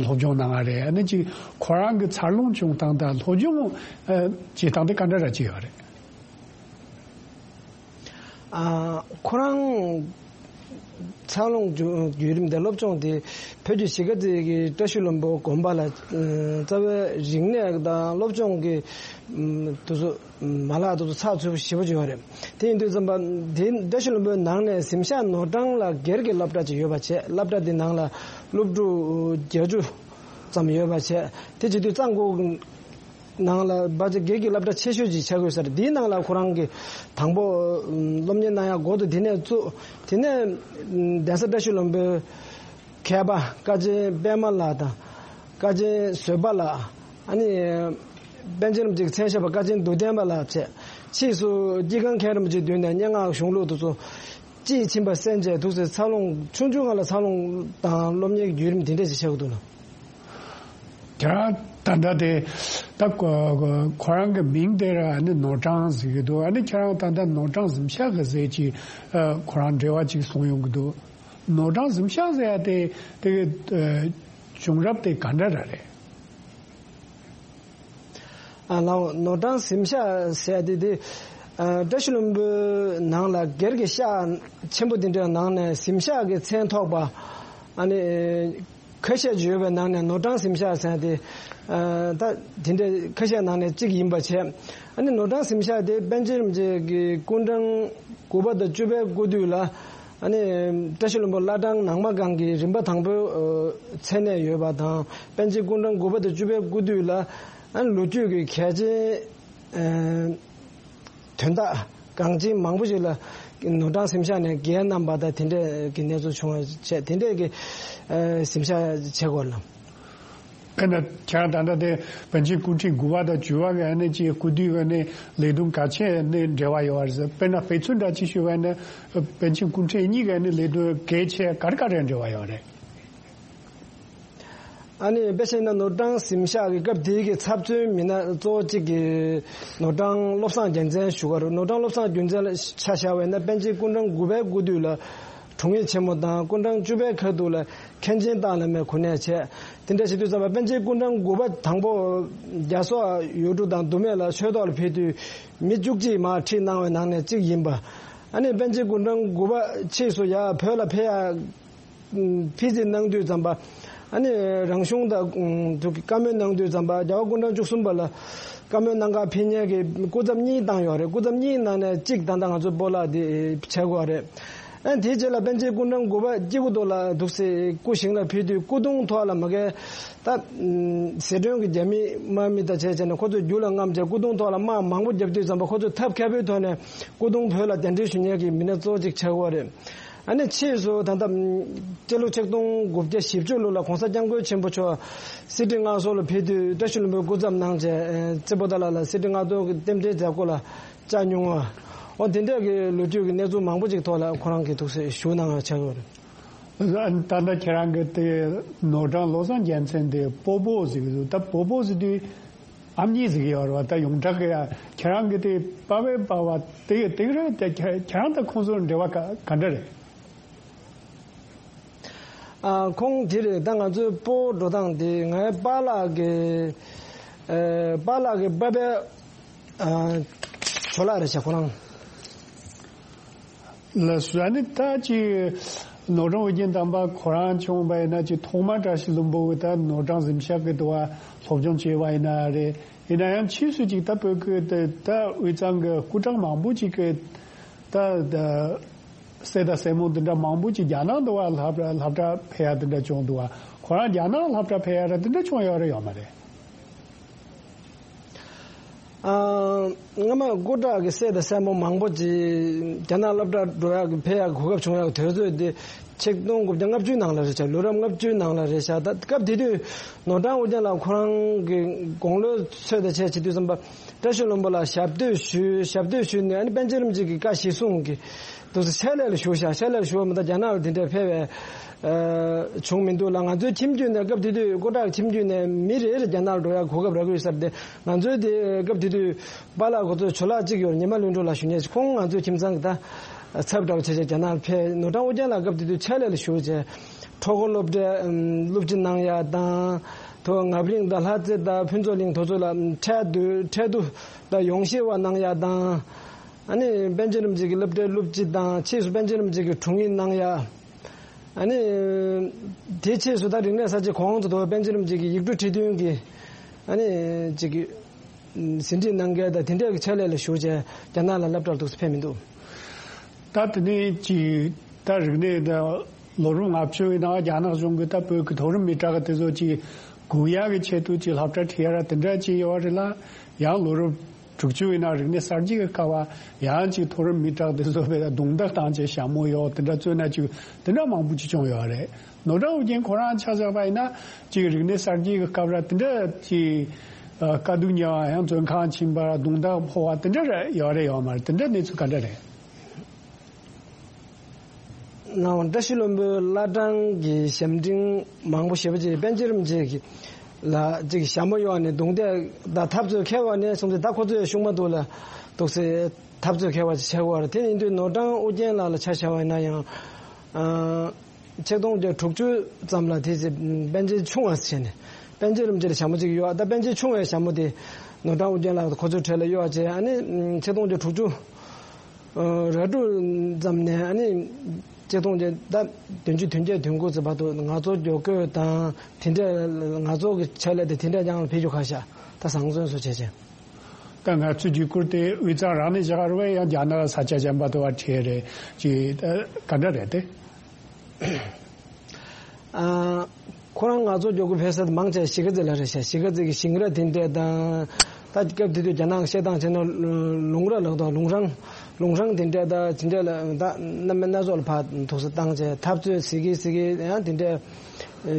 སློབ་སྦྱོང་གནང་བ་རེད། ཨ་ནི་ཅིག་ཁོ་རང་གི་འཚར་ལོངས་བྱུང་སྟངས་དང་སློབ་སྦྱོང་བྱེད་སྟངས་དེ་ག་འདྲ་ར་ཅིག་ཡོད་རེད། ཨ་ཁོ་རང་འཚར་ལོངས་བརྒྱུད་རིམ་དེ་སློབ་སྦྱོང་དེ་བོད་ཀྱི་གཞིས་ཀ་རྩེ་གི་བཀྲ་ཤིས་ལྷུན་པོ་དགོན་པ་ལ་རྩ་བའི་རིག་གནས་དང་སློབ་སྦྱོང་གི་དུས་ཚོད་མ་ལག་དུས་ཚོད་ཚགས་ཚུད་པོ་ཞེ་པོ་ཅིག་ཡོད་རེད། དེ་ཡིན་དུས་ཙམ་པ་དེ་བཀྲ་ཤིས་ལྷུན་པོའི་ནང་ནས་གཟིམ་ཤག་ནོར་བྲང་ལ་སྒེར་གྱི་སློབ་གྲྭ་ཅིག་ཡོད་པ་བྱས། སློབ་གྲྭ་དེ་ནང་ལ་སློབ་ཕྲུག་བརྒྱད་ཅུ་ཙམ་ཡོད་པ་བྱས། དེ་བྱེད་དུས་གཙང་ཁུལ་ནང་ལ་བ་ཅིག་སྒེར་གྱི་སློབ་གྲྭ་ཆེ་ཤོས་ཅིག་ཆགས་ཡོད་ས་རེད། དེའི་ནང་ལ་ཁོ་རང་གིས་དང་པོ་སློབ་གཉེར་གནང་ཡག་འགོ་དེ་དེ་ནས་བཙུགས། དེ་ནས་གདན་ས་བཀྲ་ཤིས་ལྷུན་པོའི་མཁས་པ་ཀ་ཆེན་པད་མ་ལགས་དང་། ཀ་ཆེན་བཟོད་པ་ལགས། ཨ་ནི་པཎ་ཆེན་རིན་པོ་ཆེའི་མཚན་ཞབས་པ་ཀ་ཆེན་རྡོར་གདན་པ་ལགས་བཅས། ཕྱིས་སུ་སྐྱེ་ཁམས་མཁན་རིན་པོ་ཆེའི་མདུན་ནས་སྙན་ངག་གཞུང་ལུགས་དེ་ཚོ་དཔྱིས་ཕྱིན་པ་གསན་བྱས། འདུག་སེ་འཚར་ལོངས་ཆུང་ཆུང་སྒང་ལ་འཚར་ལོངས་དང་སློབ་གཉེར་གྱི་བརྒྱུད་རིམ་དེ་འདྲ་ཞིག་ཆགས་ཀྱི་འདུག་ལ། ཁྱེད་རང་ད་ལྟ་དེ་ད་ཁོ་ཁོ་རང་གི་མིང་དེ་ར་ཨ་ནི་ནོར་གྲངས་ཟེར་གི་འདུག་ཨ་ནི་ཁྱེད་རང་ད་ལྟ་ནོར་གྲངས་གཟིམ་ཤག་གི་ཟེར་གྱི་ཁོ་རང་འབྲེལ་བ་ཅིག་གསུངས་ཡོང་གི་འདུག་ནོར་གྲངས་གཟིམ་ཤག་ཟེར་ཡ་དེ་དེ་གི་བྱུང་རབས་དེ་ག་འདྲ་ར་རེད། ཨ་ལའོ་ནོར་གྲངས་གཟིམ་ཤག་ཟེར་ཡ་དེ་དེ་ཨ་བཀྲ་ཤིས་ལྷུན་པོའི་ནང་ལ་སྒེར་གྱི་ཤག་ཆེན་པོ་དེ་འདྲའི་ནང་ནས་གཟིམ་ཤག་གི་མཚན་ཐོགས་པ་ཨ་ནི། ཁ་ཤས་ཡོད་པའི་ནང་ནས་ནོར་གྲངས་གཟིམ་ཤག་ཟེར་ཏེ། ད་དེ་འདྲའི་ཁ་ཤས་ནང་ནས་གཅིག་ཡིན་པ་བྱས། ཨ་ནི་ནོར་གྲངས་གཟིམ་ཤག་དེ་པཎ་ཆེན་རིན་པོ་ཆེ་གི་སྐུ་འཕྲེང་དགུ་པ་དང་བཅུ་པའི་སྐུ་དུས་ལ། ཨ་ནི་བཀྲ་ཤིས་ལྷུན་པོ་བླ་བྲང་ནང་མ་སྒང་གི་རིམ་པ་དང་པོའི་མཚན་གནས་ཡོད་པ་དང་། པཎ་ཆེན་སྐུ་འཕྲེང་དགུ་པ་དང་བཅུ་པའི་སྐུ་དུས་ལ། ཨ་ནི་ལོ་རྒྱུས་ཀྱི་གལ་ཆེན། དོན་དག་འགངས་ཆེན་མང་པོ་ཞིག་ལ་ནོར་གྲངས་གཟིམ་ཤག་ནས་འགན་བསྣམས་པ་དང་དེ་འདྲས་ཀྱི་གནས་ཚུལ་བྱུང་བ་བྱས་དེ་འདྲས་ཀྱི་གཟིམ་ཤག་བྱེད་དགོས་ལ། དཔེར་ན་ཁྱེད་རང་ད་ལྟ་དེ་པཎ་ཆེན་སྐུ་ཕྲེང་དགུ་པ་དང་བཅུ་པ་གི་ཨ་ནི་ཅིག་སྐུ་དུས་གི་ཨ་ནི་ལས་དོན་གལ་ཆེ་ནི་འབྲེལ་བ་ཡོད་པ་རེད། དཔེར་ན་དཔེ་མཚོན་འདྲ་ཅིག་ཞུ་བ་ན་པཎ་ཆེན་སྐུ་ཕྲེང་གཉིས་གི་ཨ་ནི་ལས་དོན་གལ་ཆེ་ག་རེ་ག་རེ་འབྲེལ་བ་ཡོད་རེད། ཨ་ནི་དཔེ་བཤད་ན་ནོར་གྲངས་གཟིམ་ཤག་གི་སྐབས་དེའི་གི་ཚབ་མཚོན་མི་སྣ་གཙོ་བོ་གཅིག་གི་ནོར་གྲངས་བློ་བཟང་རྒྱལ་མཚན་ཞུ་ག་རུ། ནོར་གྲངས་བློ་བཟང་རྒྱལ་མཚན་ལ་ཆ་བཞག་པ་ཡིན་ན་པཎ་ཆེན་སྐུ་འཕྲེང་དགུ་པའི་སྐུ་དུས་ལ་དྲུང་ཡིག་ཆེན་མོ་དང་། སྐུ་འཕྲེང་བཅུ་པའི་ཁ་ཐུག་ལ་མཁན་ཆེན་བཏང་བླ་མའི་གོ་གནས་བྱས། དེ་འདྲ་བྱེད་དུས་ཙམ་པ་པཎ་ཆེན་སྐུ་འཕྲེང་དགུ་པ་དང་པོ་རྒྱ་སོག་ཡུལ་གྲུ་དང་མདོ་སྨད་ལ་ཆོས་ཐོག་ལ་ཕེབས་དུས་མི་བཅུ་གཅིག་མར་ཁྲིད་གནང་བའི་ནང་ནས་གཅིག་ཡིན་པ། ཨ་ནི་པཎ་ཆེན་སྐུ་འཕྲེང་དགུ་པ་ཕྱིས་སུ་ཡར་བོད་ལ་ཕེབས་ཡ། ཕྱིར་འཐེན་གནང་དུས་ཙམ་པ། ཨ་ནི་རང་གཞུང་དང་ཐུག་གི་བཀའ་མོལ་གནང་དུས་ཙམ་པ་རྒྱལ་བ་སྐུ་ཕྲེང་བཅུ་གསུམ་པ་ལ་བཀའ་མོལ་གནང་གར་ཕེབས་མཁན་གྱི་སྐུ་ཚབ་གཉིས་བཏང་ཡོད་རེད། སྐུ་ཚབ་གཉིས་ནང་ནས་གཅིག་ད་ལྟ་ང་ཚོ་སྤོ་ལགས་དེ་བྱེད་དགོས་རེད། ཨ་དེའི་རྗེས་ལ་པཎ་ཆེན་སྐུ་ཕྲེང་དགུ་པ་སྐྱེ་དགུ་ཐོག་ལ་འདུག་སེ་སྐུ་ཞིང་ལ་ཕེབས་དུས་སྐུ་གདུང་ཐོག་ལ་མ་གི་ད་ཟི་ཁྲོན་གྱི་རྒྱ་མི་དམག་མི་དང་བྱས་བྱས་ནས་ཁོ་ཚོས་རྒྱུ་ལ་རྔམ་བྱས་སྐུ་གདུང་ཐོག་ལ་དམག་མང་པོ་བརྒྱབ་དུས་ཙམ་པ་ཁོ་ཚོས་ཐབས་མཁས་པོའི་ཐོག་ནས་སྐུ་གདུང་བོད་ལ་གདན་འདྲེན་ཞུ་མཁན་གྱི་མི་སྣ་གཙོ་བོ་གཅིག་ཆགས་ཀྱི་ཡོད་རེད། ཨ་ནི་ཕྱིས་སུ་ད་ལྟ་སྤྱི་ལོ་ཆིག་སྟོང་དགུ་བརྒྱ་བཞི་བཅུ་ལོ་ལ་༸གོང་ས་༸སྐྱབས་མགོན་ཆེན་པོ་མཆོག་སི་ཁྲི་མངའ་གསོལ་ལ་ཕེབས་དུས་བཀྲ་ཤིས་ལྷུན་པོའི་སྐུ་ཚབ་གནང་བྱས་རྩེ་པོ་ཏ་ལ་ལ་སི་ཁྲི་མངའ་གསོལ་གྱི་རྟེན་འབྲེལ་མཛད་སྒོ་ལ་བཅར་མྱོང་བ། འོ་དེ་འདྲ་གི་ལོ་རྒྱུས་ཀྱི་གནས་ཚུལ་མང་པོ་ཅིག་ཐོག་ལ་ཁོ་རང་གིས་ཐུགས་སྲས་ཞུ་གནང་བ་ཆགས་ཡོད་རེད། ད་ལྟ་ཁྱེད་རང་གི་དེ་ནོར་བྲང་བློ་བཟང་རྒྱལ་མཚན་དེ་སྤོ་བོ་ཟེར་གི་འདུག་ད་སྤོ་བོ་ཟེར་དུས། ཨ་མྱེས་ཟིག་ཡོད་རེད་བ། ད་ཡོངས་གྲགས་ཀྱི་ཡ་ཁྱེད་རང་གི་དེ་པ་ཕའི་པ་བ་དེ་དེ་རེད་དེ། ཁྱེད་ཁྱེད་རང་དང་ཁོང་ཚོར་འབྲེལ་བ་ག་ག་འདྲ་རེད། ཨ་ཁོང་དེ་རེད། ད་ང་ཚོའི་སྤོ་བོ་འགྲོ་སྟངས་དེ་ངའི་པཱ་ལགས་ཀྱི་ཨ་པཱ་ལགས་ཀྱི་པ་ཕའི་ཨ་ཇོ་ལགས་རེད་ཤག་ཁོ་རང་། ལགས་སོ། ཨ་ནི་ད་ཅིག་ནོར་བྲང་ཨོ་རྒྱན་དམ་པ་ཁོ་རང་བྱུང་བ་ཡིན་ན་ཅིག་ཐོག་མ་བཀྲ་ཤིས་ལྷུན་པོ་གི་ད་ནོར་བྲང་གཟིམ་ཤག་གི་དུ་བ་སློབ་སྦྱོང་བྱས་པ་ཡིན་ན་རེད། ཡིན་ན་ཡང་ཕྱིས་སུ་ཅིག་ད་བོད་ཀྱི་ད་ད་དབུས་གཙང་གི་སྐུ་དྲག་མང་པོ་ཅིག་གི་ད་ད་སྲས་དང་སྲས་མོ་འདི་འདྲ་མང་པོ་ཅིག་རྒྱ་ནག་དུ་བ་སློབ་གྲྭ་སློབ་གྲྭ་ཕེབས་ཡ་འདི་འདྲ་བྱུང་འདུག་བ། ཁོ་རང་རྒྱ་ནག་སློབ་གྲྭ་ཕེབས་ཡ་ར་འདི་འདྲ་བྱུང་ཡོད་རེད་ཡོད་མ་རེད། ཨ། སྔ་མ་སྐུ་དྲག་གི་སྲས་དང་སྲས་མོ་མང་པོ་ཅིག་རྒྱ་ནག་སློབ་གྲྭར་འགྲོ་ཡག་གི་ཕེབས་ཡག་གི་གོ་སྐབས་བྱུང་ཡག་གི་དུས་ཚོད་དེ་ཆིག་སྟོང་དགུ་བརྒྱ་ལྔ་བཅུའི་ནང་ལ་རེད་ཤག་ལོ་རབས་ལྔ་བཅུའི་ནང་ལ་རེད་ཤག་ད་སྐབས་དེ་དུས་ནོར་བྲང་ཨོ་རྒྱན་ལགས་ཁོ་རང་གི་དགུང་ལོའི་ཚོད་དང་བཅས་བྱེད་དུས་ཙམ་པ་བཀྲ་ཤིས་ལྷུན་པོ་ལ་ཞབས་སྟོད་ཞུས། ཞབས་སྟོད་ཞུས་ནས་ཨ་ནི་པཎ་ཆེན་རིན་པོ་ཆེ་གི་བཀའ་གཞིར་བཟུང་གི་འདུག་སེ་ཕྱག་ལས་ལ་ཞུགས་ཤག་ཕྱག་ལས་ལ་ཞུགས་པ་མ་གཏོགས་རྒྱ་ནག་ལ་དེ་འདྲའི་ཕེབས་པའི་ཨ་བྱུང་མི་འདུག་ལ། ང་ཚོའི་ཁྱིམ་རྒྱུད་ནས་སྐབས་དེ་དུས་སྐུ་དྲག་ཁྱིམ་རྒྱུད་ནས་མི་རེ་རེ་རྒྱ་ནག་ལ་འགྲོ་ཡག་གོ་སྐབས་རག་གི་ཡོད་ས་རེད་དེ། ང་ཚོའི་དེ་སྐབས་དེ་དུས་པཱ་ལགས་ཁོ་ཚོ་ཇོ་ལགས་གཅིག་ཡོད་རེད། ཉི་མ་ལྷུན་གྲུབ་ལགས་ཞུ་མཁན་ཅིག་ཁོང་ང་ཚོའི་ཁྱིམ་ཚང་གི་ད་ཚབ་འདྲ་བོ་བྱས་བྱས་རྒྱ་ནག་ལ་ཕེབས། ནོར་བྲང་ཨོ་རྒྱན་ལགས་སྐབས་དེ་དུས་ཕྱག་ལས་ལ་ཞུགས་བྱས་ཁྲོ་ཁོ་སློབ་གྲྭའི་སློབ་སྤྱི་གནང་ཡག་དང་། ཐོག་ངབ་གླིང་དང་ལྷ་རྩེ་དང་ཕུན་ཚོགས་གླིང་དེ་ཚོ་ལ་ཁྲལ་བསྡུ་ཁྲལ་བསྡུ་དང་ཡོངས་བཤེར་བ་གནང་ཡག་དང་། ཨ་ནི་པཎ་ཆེན་རིན་པོ་ཆེ་གི་སློབ་གྲྭའི་སློབ་སྤྱི་དང་ཕྱིས་སུ་པཎ་ཆེན་རིན་པོ་ཆེ་གི་དྲུང་ཡིག་གནང་ཡག་ཨ་ནི་དེ་ཕྱིས་སུ་ད་རིག་གནས་གསར་བརྗེ་གོང་དུ་དོ་པཎ་ཆེན་རིན་པོ་ཆེ་གི་ཡིག་འབྲུ་ཁྲི་བདུན་གྱི་ཨ་ནི་ཅིག་གི་ཟིན་བྲིས་གནང་མཁན་དང་དེ་འདྲའི་གི་ཕྱག་ལས་ལ་ཞུགས་བྱས་རྒྱ་ནག་ལ་སློབ་གྲྭར་འདུག་སེ་ཕེབས་མི་འདུག་ད་དེ་ནས་ཅིག་ད་རིག་གནས་ད་ལོ་རབས་ལྔ་བཅུ་བའི་ནང་རྒྱ་ནག་གཞུང་གིས་ད་བོད་ཀྱི་མཐོ་རིམ་མི་དྲག་དེ་ཚོ་ཅིག་སྒུག་ཡག་གི་ཆེད་དུ་ཅིག་སློབ་གྲྭ་ཁྲིད་ཡ་ར་དེ་འདྲ་ཅིག་ཡོད་རེད་ལ། ཡང་ལོ་རབས་དྲུག་ཅུ་བའི་ནང་རིག་གནས་གསར་བརྗེ་གི་སྐབས་ཡང་ཅིག་མཐོ་རིམ་མི་དྲག་དེ་ཚོ་བས་རྡུང་རྡེག་བཏང་བྱས་ཞྭ་མོ་གཡོག་དེ་འདྲ་བཙོན་ན་ཅིག་དེ་འདྲ་མང་པོ་ཅིག་བྱུང་ཡོད་རེད། ནོར་བྲང་ཨོ་རྒྱན་ཁོ་རང་ཆ་བཞག་པ་ཡིན་ན་ཅིག་རིག་གནས་གསར་བརྗེ་གི་སྐབས་ར་དེ་འདྲ་ཅིག་དཀའ་སྡུག་མྱངས་པ་ཡང་བཙོན་ཁང་ཕྱིན་པ་ར་རྡུང་རྡེག་ཕོག་པ་དེ་འདྲ་ར་ཡོད་རེད་ཡོད་མ་རེད། དེ་འདྲ་གནས་ཚུལ་ག་འདྲ་རེད། ནའོ་བཀྲ་ཤིས་ལྷུན་པོའི་བླ་བྲང་གི་ཞབས་འབྲིང་མང་པོ་ཞེ་པོ་ཅིག་པཎ་ཆེན་རིན་པོ་ཆེ་གི་ ལ་ཅིག་ཞྭ་མོ་གཡོགས་ནས་རྡུང་རྡེག་དང་འཐབ་རྩོད་ཁེལ་བ་ནས་བཟུང་སྟེ། ད་ཁོ་ཚོས་ཤུགས་མ་ཐུག་ལ་འདུག་སེ་འཐབ་རྩོད་ཁེལ་བ་ཅིག་བྱེད་དགོས་པ་རེད། དེ་ཡིན་དུས་ནོར་བྲང་ཨུ་རྒྱན་ལགས་ལ་ཆ་བཞག་པ་ཡིན་ན་ཡང་། ཨ། ཆིག་སྟོང་བརྒྱ་དྲུག་ཅུ་ཙམ་ལ་དེ་ཚེ་པཎ་ཆེན་ཆུང་བ་ཟེར་ནས། པཎ་ཆེན་རིན་པོ་ཆེ་ལ་ཞྭ་མོ་གཅིག་གཡོགས། ད་པཎ་ཆེན་ཆུང་བའི་ཞྭ་མོ་དེ་ནོར་བྲང་ཨུ་རྒྱན་ལགས་ཁོ་ཚོའི་གྲས་ལ་གཡོགས་བྱས། ཨ་ནི་ཆིག་སྟོང་བརྒྱ་དྲུག་ཅུ་རེ་དྲུག་ཙམ་ནས། ཨ་ནི་ཆིག་སྟོང་བརྒྱ་ད་བདུན་ཅུ་དོན་བརྒྱད་དོན་དགུ་ཙམ་བར་དུ་ངལ་རྩོལ་བརྒྱུད་སྐྱོད་དང་དེ་འདྲ་ངལ་རྩོལ་གྱི་ཆེད་ལས་དེ་དེ་འདྲ་རྐྱང་ལ་ཕེབས་རྒྱུ་ཁ་ཤས། ད་བཟང་བཙོན་སུ་བྱེད་ཅེས། ད་ང་ཚོའི་བརྒྱུད་སྐུར་དེ་དབུས་གཙང་རང་ནས་བཞག་རེད་པས། ཡང་རྒྱ་ནག་ས་ཆ་གཞན་པ་དུ་བ་ཁྲིད་རེད་ཅེས་ག་འདྲ་རེད་དེ། ཨ། ཁོ་རང་ངལ་རྩོལ་བརྒྱུད་སྐྱོད་ཕེབས་ས་དེ་མང་ཆེ་གཞིས་ཀ་རྩེ་ལ་རེད་ཤག་གཞིས་ཀ་རྩེ་གི་ཞིང་ར་དེ་འདྲ་དང་། ད་སྐབས་དེ་དུས་རྒྱ་ནག་བཤད་སྟངས་བྱས་ན་ལུང་ར་ལབ་དོ། ལུང་རང་ལུང་རང་དེ་འདྲ་ད་དེ་འདྲ་ལ་ད་གནམ་སྣ་ཚོགས་ལ་ཕར་འདུག་སེ་བཏང་བྱས་འཐབ་རྩོད་ཟེར་གི་ཟེར་གི། ཡང་དེ་འདྲ་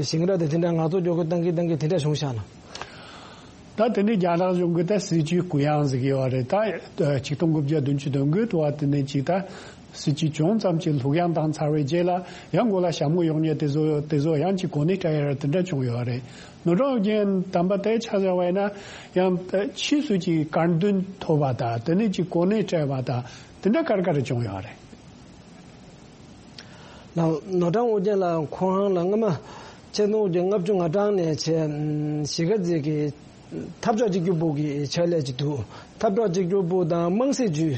ཞིང་ར་དེ་དེ་འདྲ་ངལ་རྩོལ་བརྒྱུད་སྐྱོད་བཏང་གི་བཏང་གི་དེ་འདྲ་བྱུང་ཤག་ལ། ད་དེ་ནས་རྒྱ་ནག་གཞུང་གིས་ད་སྲིད་བྱུས་གུ་ཡངས་ཟེར་གྱི་ཡོད་རེད། ད་ཆིག་སྟོང་དགུ་བརྒྱ་བདུན་ཅུ་དོན་དགུ་དུ་བ་དེ་ནས་ཅིག་ད་སྲིད་བྱུས་ཅུང་ཙམ་ཅིག་ལྷུག་ཡངས་བཏང་ཚར་བའི་རྗེས་ལ་ཡང་མགོ་ལ་ཞྭ་མོ་གཡོགས་མཁན་དེ་ཚོ་དེ་ཚོ་ཡང་ཅིག་གོ་གནས་སྤྲད་ཡ་ར་དེ་འདྲ་བྱུང་ཡོད་རེད། ནོར་བྲང་ཨུ་རྒྱན་དམ་པ་དེ་ཆ་བཞག་པ་ཡིན་ན་ཡང་ཕྱིས་སུ་ཅིག་དཀར་འདོན་ཐོབ་པ་དང་། དེ་ནས་ཅིག་གོ་གནས་སྤྲད་པ་དང་། དེ་འདྲ་ག་རེ་ག་རེ་བྱུང་ཡོད་རེད། ལགས། ནོར་བྲང་ཨུ་རྒྱན་ལགས་ཁོ་རང་ལ་སྔ་མ་ཆིག་སྟོང་དགུ་བརྒྱ་ལྔ་བཅུ་ང་གྲངས་ནས་བྱས། ཨམ། གཞིས་ཀ་རྩེ་གི་འཐབ་ཕྱོགས་གཅིག་གྱུར་པུའུ་གི་ཕྱག་ལས་ཅིག་འདུག་འཐབ་ཕྱོགས་གཅིག་གྱུར་པུའུ་དང་དམངས་སྲིད་ཅུས་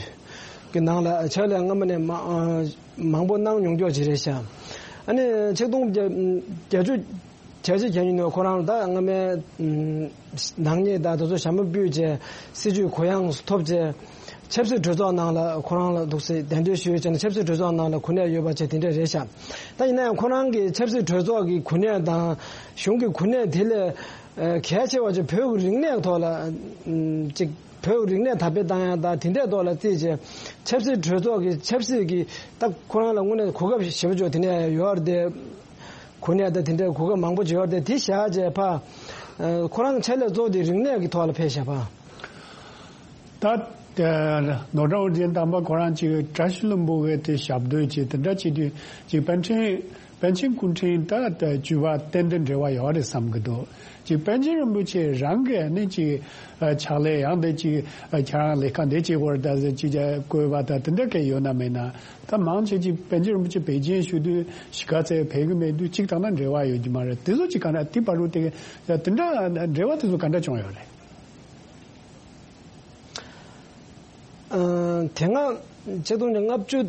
ཀྱི་ནང་ལ་ཕྱག་ལས་སྔ་མ་ནས་མ་ཨ་མང་པོ་གནང་མྱོང་ཀྱོག་ཅིག་རེད་ཤག་ཨ་ནི་ཆིག་སྟོང་དགུ་བརྒྱ་བརྒྱད་ཅུ་གྱ་གཅིག་གྱ་གཉིས་ནས་ཁོ་རང་ད་སྔ་མའི་ནག་ཉེས་དང་དེ་ཚོ་ཞྭ་མོ་ཕུད་བྱས། སྲིད་བྱུས་གུ་ཡངས་སུ་ཐོབ་བྱས། ཆབ་སྲིད་གྲོས་ཚོགས་ནང་ལ་ཁོ་རང་ལ་འདུག་སེ་གདན་འདྲེན་ཞུས་བྱས་ནས་ཆབ་སྲིད་གྲོས་ཚོགས་ནང་ལ་གོ་གནས་ཡོད་པ་བྱས་དེ་འདྲ་རེད་ཤག་ད་ཡིན་ན་ཡང་ཁོ་རང་གི་ཆབ་སྲིད་གྲོས་ཚོགས་ཀྱི་གོ་གནས་དང་གཞུང་གི་གོ་གནས་དེ་ལས་ཨ་གལ་ཆེ་བ་ཅིག་བོད་ཀྱི་རིག་གནས་ཐོག་ལ་ཨམ་ཅིག་བོད་ཀྱི་རིག་གནས་དར་སྤེལ་བཏང་ཡ་དང་དེ་འདྲའི་ཐོག་ལ་བརྩིས་བྱས། ཆབ་སྲིད་གྲོས་ཚོགས་ཀྱི་ཆབ་སྲིད་ཀྱི་ད་ཁོ་རང་ལ་དངོས་གནས་གོ་སྐབས་ཞེ་པོ་ཅིག་དེ་འདྲ་ཡོད་རེད་དེ། གོ་གནས་དང་དེ་འདྲའི་གོ་སྐབས་མང་པོ་ཅིག་ཡོད་རེད་དེ། དེ་བཞག་བྱས་ཕར་ཨ་ཁོ་རང་ཕྱག་ལས་གཙོ་བོ་དེ་རིག་གནས་ཀྱི་ཐོག་ལ་ཕེབས་བཞག་པ། ད་ཨ་ནོར་བྲང་ཨུ་རྒྱན་དམ་པ་ཁོ་རང་ཅིག་བཀྲ་ཤིས་ལྷུན་པོ་གི་དེ་ཞབས་བསྟོད་ཅིག་དེ་འདྲ་བྱེད་དུས་ཅིག་པཎ་ཆེན་པཎ་ཆེན་སྐུ་ཕྲེང་ད་ད་བཅུ་པ་ཏན་ཏན་འབྲེལ་བ་ཡོད་རེད་བསམ་གྱི་འདུག་ཅིག་པཎ་ཆེན་རིན་པོ་ཆེ་རང་གིས་ནི་ཅིག་ཨ་ཕྱག་ལས་ཡང་དེ་ཅིག་ཨ་ཁྱེད་རང་ལས་ཀ་འདི་བྱེད་དགོས་རེད་ད་ཟེར་ཅིག་བཀོད་པ་ད་དེ་འདྲ་གས་ཡོད་ན་མེད་ན། ད་མང་ཆེ་ཅིག་པཎ་ཆེན་རིན་པོ་ཆེ་བེད་སྤྱོད་ཞུ་དུས་གཞིས་ཀ་རྩེ་ཕེབས་ཀྱི་མེད་དུས་ཅིག་དང་ན་འབྲེལ་བ་ཡོད་ཀྱི་མ་རེད། དེ་ཚོ་ཅིག་ག་འདྲ་དེ་བར་དུ་དེ་དེ་འདྲ་འབྲེལ་བ་དེ་ཚོ་ག་འདྲ་བྱུང་ཡོད་རེད། ཨ་དེ་སྔ་ཆིག་སྟོང་དགུ་བརྒྱ་ལྔ་བཅུ་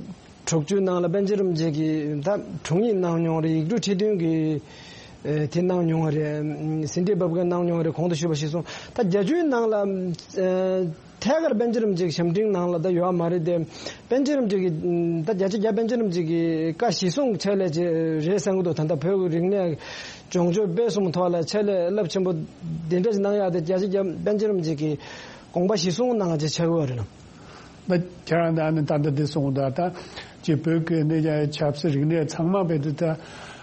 དྲུག་ཅུའི་ནང་ལ་པཎ་ཆེན་རིན་པོ་ཆེ་གིས་ད་དྲུང་ཡིག་གནང་མྱོང་རེད། ཡིག་འབྲུ་ཁྲི་བདུན་གྱི་ཨེ་དེ་གནང་མྱོང་བ་རེད། ཟིན་བྲིས་འབབ་མཁན་གནང་མྱོང་བ་རེད། གོང་དུ་ཞུས་པ་གཞིར་བཟུང་ད་བརྒྱད་ཅུའི་ནང་ལ་ཨེ་ཐད་ཀར་པཎ་ཆེན་རིན་པོ་ཆེ་གི་ཞབས་འབྲིང་ནང་ལ་ད་ཡོད་མ་རེད་དེ། པཎ་ཆེན་རིན་པོ་ཆེ་གི་ད་བརྒྱ་ཆ་བརྒྱ་པཎ་ཆེན་རིན་པོ་ཆེ་གི་བཀའ་གཞིར་བཟུང་ཆེད་ལས་ཅིག་རེད་བསམ་གྱི་འདུག་ད་ལྟ་བོད་ཀྱི་རིག་གནས་སྦྱོང་སྤྱོད་སྤེལ་གསུམ་ཐོག་ལ་ཆེད་ལས་རླབས་ཆེན་པོ་འདི་འདྲ་ཞིག་གནང་ཡག་དེ་བརྒྱ་ཆ་བརྒྱ་པཎ་ཆེན་རིན་པོ་ཆེ་གི་དགོངས་པ་གཞིར་བཟུང་གནང་ཡག་ཅིག་ཆགས་ཀྱི་ཡོད་རེད་ལ། ད་ཁྱེད་རང་ད་ནི་ད་ལྟ་འདི་གསུངས་འདུག་ད་ཅིག་བོད་ཀྱི་ནི་ཆབ་སྲིད་རིག་གནས་ཚང་མ་བེད་དུ་ད་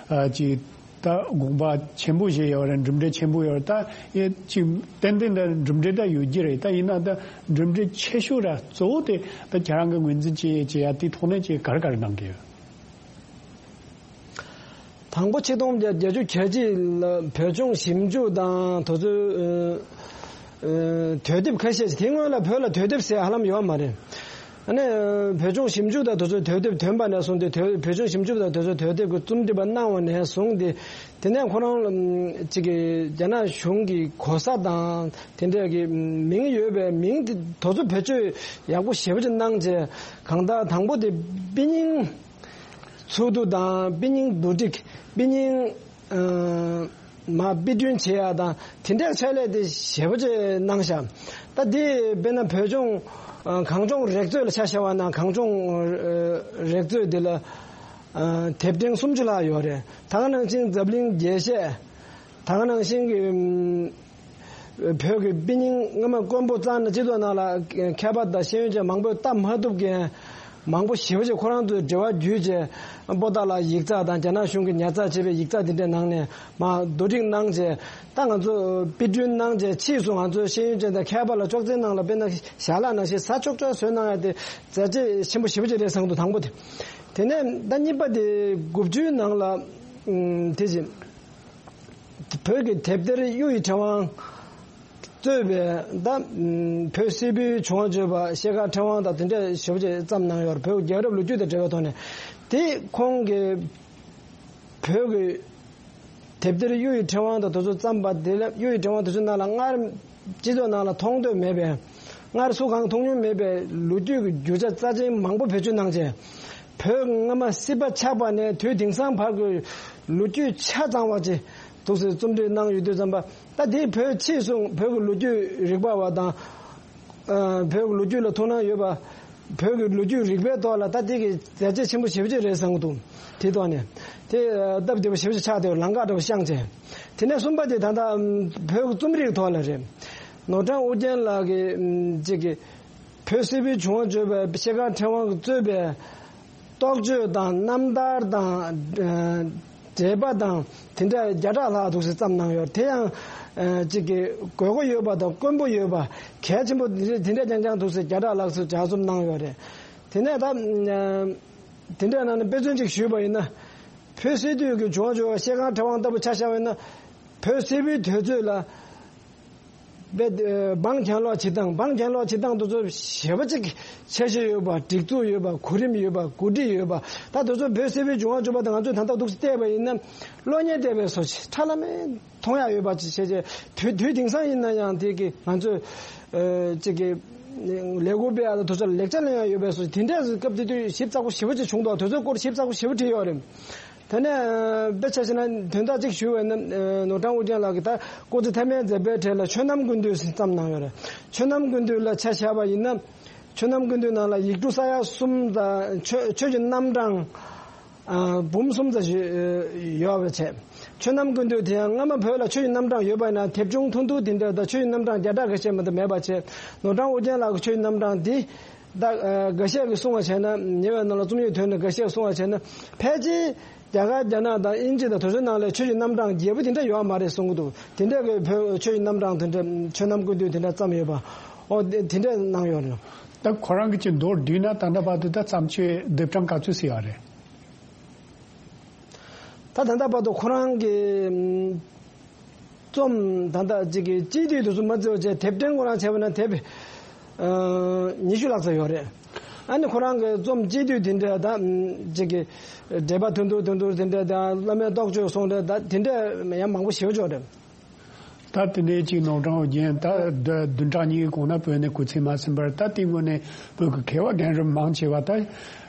ཨ་ཅིག་ད་དགོངས་པ་ཆེན་པོ་བཞེས་ཡོད་རེད། གྲུབ་འབྲས་ཆེན་པོ་ཡོད་རེད། ད་ཡེ་ཅིག་ཏན་ཏན་ད་གྲུབ་འབྲས་ད་ཡོད་ཀྱི་རེད། ད་ཡིན་ན་ད་གྲུབ་འབྲས་ཆེ་ཤོས་ར་གཙོ་བོ་དེ་ད་ཁྱེད་རང་གི་ངོས་འཛིན་བྱེད་བྱེད་ཡ་དེ་ཐོག་ནས་ཅིག་ག་རེ་ག་རེ་གནང་གི་ཡོད། དང་པོ་ཆིག་སྟོང་བརྒྱད་བརྒྱད་ཅུ་གྱ་གཅིག་ལ་བོད་ལྗོངས་ཞིབ་འཇུག་དང་དེ་ཚོའི་ཨ་ཨ་དུས་དེབ་ཁ་ཤས་ཤིག་དེ་སྔོན་ལ་བོད་ལ་དུས་དེབ་ཟེར་ཧ་ལམ་ཡོད་མ་རེད། ཨ་ནི་བོད་ལྗོངས་ཞིབ་འཇུག་དང་དེ་ཚོའི་དུས་དེབ་ཐོན་པ་ནས་བཟུང་སྟེ་དུས་བོད་ལྗོངས་ཞིབ་འཇུག་དང་དེ་ཚོའི་དུས་དེབ་ཀྱི་རྩོམ་སྒྲིག་པ་གནང་བ་ནས་བཟུང་སྟེ། དེ་ནས་ཁོ་རང་ལ་ཅིག་གི་རྒྱ་ནག་གཞུང་གི་གོ་ས་དང་དེ་འདྲས་ཀྱི་མིང་ཡོད་པའི་མིང་དེ་དེ་ཚོ་བེད་སྤྱོད་ཡག་པོ་ཞེ་པོ་ཅིག་གནང་བྱས། གང་ལྟར་དང་པོ་དེ་དཔེ་རྙིང་འཚོལ་བསྡུ་དང་དཔེ་རྙིང་བསྡུ་སྒྲིག་དཔེ་རྙིང་ཨ་མ་དཔེ་སྐྲུན་བྱེད་ཡ་དང་དེ་འདྲའི་ཆེད་ལས་དེ་ཞེ་པོ་ཅིག་གནང་ཤག་ད་དེ་དཔེར་ན་བོད་ལྗོངས་ཨ་གངས་ལྗོངས་རིག་མཛོད་ལ་ཆ་བཞག་པ་ན་གངས་ལྗོངས་ཨ་རིག་མཛོད་དེ་ལ་ཨ་དེབ་ཕྲེང་སུམ་ཅུ་ལྷག་ཡོད་རེད། ད་ག་ནང་བཞིན་འཛམ་གླིང་རྒྱས་བཤད། ད་ག་ནང་བཞིན་གྱི་ཨམ་བོད་ཀྱི་དཔེ་རྙིང་སྔ་མ་མགོན་པོ་གཙང་ནས་སྤྱི་ཚོགས་ནང་ལ་མཁས་པ་དང་ཤེས་ཡོན་ཅན་མང་པོས་ལྟ་མ་ཐུབ་མཁན་མང་པོ་ཞེ་པོ་ཅིག་ཁོ་རང་ཚོའི་འབྲེལ་བ་བརྒྱུད་བྱས། པོ་ཏཱ་ལ་ཡིག་ཚགས་དང་རྒྱ་ནག་གཞུང་གིས་ཉར་ཚགས་བྱས་པའི་ཡིག་ཚགས་དེ་འདྲའི་ནང་ནས་མར་བསྡུ་སྒྲིག་གནང་བྱས། ད་ང་ཚོ་དཔེ་སྐྲུན་གནང་བྱས་ཕྱིས་སུ་ང་ཚོའི་ཤེས་ཡོན་ཅན་དང་མཁས་པ་ལ་ཅོག་ཙེའི་ནང་ལ་དཔེར་ན་ཞལ་ལག་ནང་བཞིན་ཟ་ཅོག་ཅོག་བཟོས་གནང་ཡ་དེ་མཛད་རྗེས་ཆེན་པོ་ཞེ་པོ་ཅིག་རེད་བསམ་གྱི་འདུག་དང་པོ་དེ། དེ་ནས་ད་གཉིས་པ་དེ་དགུ་བཅུའི་ནང་ལ་ཨམ་དེ་བཞིན། བོད་ཀྱི་དེབ་ཐེར་གཡུ་ཡི་ཕྲེང་བ་གཙོས་པའི་ད་བོད་སིལ་བུའི་བྱུང་བ་བརྗོད་པ་ཤེལ་དཀར་ཕྲེང་བ་དང་དེ་འདྲ་ཞེ་པོ་ཅིག་བརྩམས་གནང་ཡོད་རེད། བོད་རྒྱལ་རབས་ལོ་རྒྱུས་དང་འབྲེལ་བའི་ཐོག་ནས། དེ་ཁོང་གིས་བོད་ཀྱི་དེབ་ཐེར་གཡུ་ཡི་ཕྲེང་བ་དང་དེ་ཚོ་བརྩམས་པ་དེ་ལ། གཡུ་ཡི་ཕྲེང་བ་དེ་ཚོ་ནང་ལ་སྔར་སྤྱི་ཚོགས་ནང་ལ་མཐོང་ཐོས་མེད་པའི། སྔར་སུ་གང་མཐོང་མྱོང་མེད་པའི་ལོ་རྒྱུས་ཀྱི་རྒྱུ་ཆ་རྩ་ཆེན་མང་པོ་བེད་སྤྱོད་གནང་བྱས། བོད་སྔ་མ་སྲིད་པ་ཆགས་པ་ནས་དུས་དེང་སང་བར་གྱི་ལོ་རྒྱུས་ཆ་ཚང་བ་ཅིག་འདུག་སེ་རྩོམ་སྒྲིག་གནང་ཡོད་དུས་ཙམ་པ། ད་དེ་བོད་ཕྱིས་སུ་བོད་ཀྱི་ལོ་རྒྱུས་རིག་པ་བ་དང་། ཨ། བོད་ཀྱི་ལོ་རྒྱུས་ལ་ཐུགས་སྣང་ཡོད་པ། བོད་ཀྱི་ལོ་རྒྱུས་རིག་པའི་ཐོག་ལ་ད་དེ་གི་བྱས་རྗེས་ཆེན་པོ་ཞེ་པོ་ཅིག་རེད་བསམ་གྱི་འདུག་དེ་ཐོག་ནས་དེ་སྟབས་བདེ་པོ་ཞེ་པོ་ཅིག་ཆགས་བསྡད་པའི་ལམ་ཁ་འདྲ་པོ་བཤངས་བྱས། དེ་ནས་གསུམ་པ་དེ་ད་ལྟ་བོད་ཀྱི་རྩོམ་རིག་ཐོག་ལ་རེད། ནོར་བྲང་ཨོ་རྒྱན་ལགས་ཀྱིས་ཅིག་གི་བོད་སིལ་བུའི་བྱུང་བ་བརྗོད་པའི་ཤེལ་དཀར་ཕྲེང་བ་གཙོས་པའི་རྟོགས་བརྗོད་དང་རྣམ་ཐར་དང་། ཨ། འགྲེལ་པ་དང་དེ་འདྲ་བརྒྱ་ཕྲག་ལྷག་འདུག་སེ་བརྩམས་གནང་ཡོད། དེ་ཡང་ཨ་ཅིག་གི་དགོས་མཁོ་ཡོད་པ་དང་དཀོན་པོ་ཡོད་པ། གལ་ཆེན་པོ་དེ་འདྲ་དེ་འདྲ་རྐྱང་རྐྱང་འདུག་སེ་བརྒྱ་ཕྲག་ལྷག་ཙམ་ལྗགས་རྩོམ་གནང་ཡོད་རེད། དེ་ནས་ད་ཨ་དེ་འདྲ་ནང་ནས་དཔེ་མཚོན་ཅིག་ཞུས་པ་ཡིན་ན། བོད་སིལ་བུའི་བྱུང་བ་བརྗོད་པ་ཤེལ་དཀར་ཕྲེང་བ་ལྟ་བུ་ཆ་བཞག་པ་ཡིན་ན། བོད་སིལ་བུའི་དུས་ཚོད་ལ། དཔེ། ཨ། འབངས་གྱེན་ལོག་བྱེད་སྟངས། འབངས་གྱེན་ལོག་བྱེད་སྟངས་དེ་ཚོ་ཞེ་པོ་ཅིག་འཆར་གཞི་ཡོད་པ། སྒྲིག་འཛུགས་ཡོད་པ། གོ་རིམ་ཡོད་པ། གོ་སྒྲིག་ཡོད་པ། ད་དེ་ཚོ་བོད་སིལ་བུའི་བྱུང་བ་བརྗོད་པ་དང་ང་ཚོས་ད་ལྟ་འདུག་སེ་བལྟས་པ་ཡིན་ན། གློག་བརྙན་བལྟས་པའི་བཟོ་ཅིག་ཁྲ་ལམ་མེ་མཐོང་ཡག་ཡོད་པ་ཅིག་བྱས་རྗེས། དུས་དུས་དེང་སང་ཡིན་ན་ཡང་དེ་གི་ང་ཚོས་ཨ་ཅིག་གི་ལས་འགུལ་སྤེལ་ཡག་དང་དེ་ཚོ་ལ་ལེགས་ཆ་ལེན་ཡག་ཡོད་པའི་བཟོ་ཅིག་དེ་འདྲའི་སྐབས་དེ་དུས་ཞིབ་ཚགས་པོ་ཞེ་པོ་ཅིག་བྱུང་འདུག་དེ་ཚོའི་སྐོར་ཞིབ་ཚགས་པོ་ཞེ་པོ་བྲིས་ཡོད་རེད། དེ་ནས་དཔེ་ཆ་བཞག་ན་དོན་དག་ཅིག་ཞུ་བ་ཡིན་ན། ནོར་བྲང་ཨོ་རྒྱན་ལགས་ཀྱིས་ད་སྐུ་ཚེ་མཐའ་མའི་མཛད་པའི་གྲས་ལ་ཆོས་རྣམ་ཀུན་བཏུས་བརྩམས་གནང་ཡོད་རེད། ཆོས་རྣམ་ཀུན་བཏུས་ལ་ཆ་བཞག་པ་ཡིན་ན། ཆོས་རྣམ་ཀུན་བཏུས་ནང་ལ་ཡིག་འབྲུ་ས་ཡ་གསུམ་དང་ཆོས་ཆོས་ཀྱི་རྣམ་གྲངས་ཨ་འབུམ་གསུམ་ཙམ་ཞིག་ཡོད་པ་བྱས། ཆོས་རྣམ་ཀུན་བཏུས་དེ་ཡང་སྔ་མ་བོད་ལ་ཆོས་ཀྱི་རྣམ་གྲངས་ཡོད་པ་ཡིན་ན་དེབ་ཆུང་ཐུང་ཐུང་དེ་འདྲ་དང་ཆོས་ཀྱི་རྣམ་གྲངས་བརྒྱ་ཕྲག་ཁ་ཤས་མ་གཏོགས་མེད་པ་བྱས། ནོར་བྲང་ཨོ་རྒྱན་ལགས་ཀྱི་ཆོས་ཀྱི་རྣམ་གྲངས་འདི། ད་ཨ་འགའ་ཤས་ཀྱིས་གསུངས་པ་བྱས་ན། ཉེ་བའི་ནང་ལ་རྩོམ་ཡིག་ཐོན་ནས་འགའ་ཤས་ཀྱིས་གསུངས་པ་བྱས་ན། ཕལ་ཆེར་རྒྱ་གར་རྒྱ་ནག་དང་དབྱིན་ཇི་དང་དེ་ཚོའི་ནང་ལ་ཆོས་ཀྱི་རྣམ་གྲངས་རྒྱས་པོ་དེ་འདྲ་ཡོད་མ་རེད་གསུང་གི་འདུག་དེ་འདྲ་གི་བོད་ཆོས་ཀྱི་རྣམ་གྲངས་དེ་འདྲ་ཆོས་རྣམ་ཀུན་བཏུས་དེ་འདྲ་བརྩམས་ཡོད་པ། ཨོ་དེ་དེ་འདྲ་གནང་ཡོད་རེད། ད་ཁོ་རང་གི་ཅིག་མདོར་བསྡུས་ན་ད་ལྟ་བར་དུ་ད་བརྩམས་ཆོས་དེབ་གྲངས་ག་ཚོད་ཟིན་ཡོད་རེད། ད་ད་ལྟ་བར་དུ་ཁོ་རང་གི་ཨམ་རྩོམ་ད་ལྟ་ཅིག་གི་སྤྱི་འཐུས་དེ་ཚོ་མ་བརྩི་བ་བྱས། དེབ་ཕྲེང་ཁོ་རང་བྱས་པ་ན་དེབ་ཨ་ཉི་ཤུ་ལྷག་ཙམ་ཡོད་རེད། ཨ་ནི་ཁོ་རང་གི་རྩོམ་སྤྱི་འཐུས་དེ་འདྲ་ད་ཅིག་གི་འགྲེལ་པ་ཐུང་ཐུང་ཐུང་ཐུང་དེ་འདྲ་དང་། བླ་མའི་རྟོགས་བརྗོད་གསུང་འདྲ་ད་དེ་འདྲ་ཡང་མང་པོ་ཞེ་པོ་ཅིག་ཡོད་རེད། ད་དེ་འདྲའི་ཅིག་ནོར་བྲང་ཨོ་རྒྱན་ད་བདུན་ཕྲག་གཉིས་གོང་ན་བོད་ནས་སྐུ་ཚེ་མ་ཟིན་པར། ད་དེ་སྔོན་ནས་བོད་ཀྱི་མཁས་པ་རྒན་རབས་མང་ཆེ་བ་ད་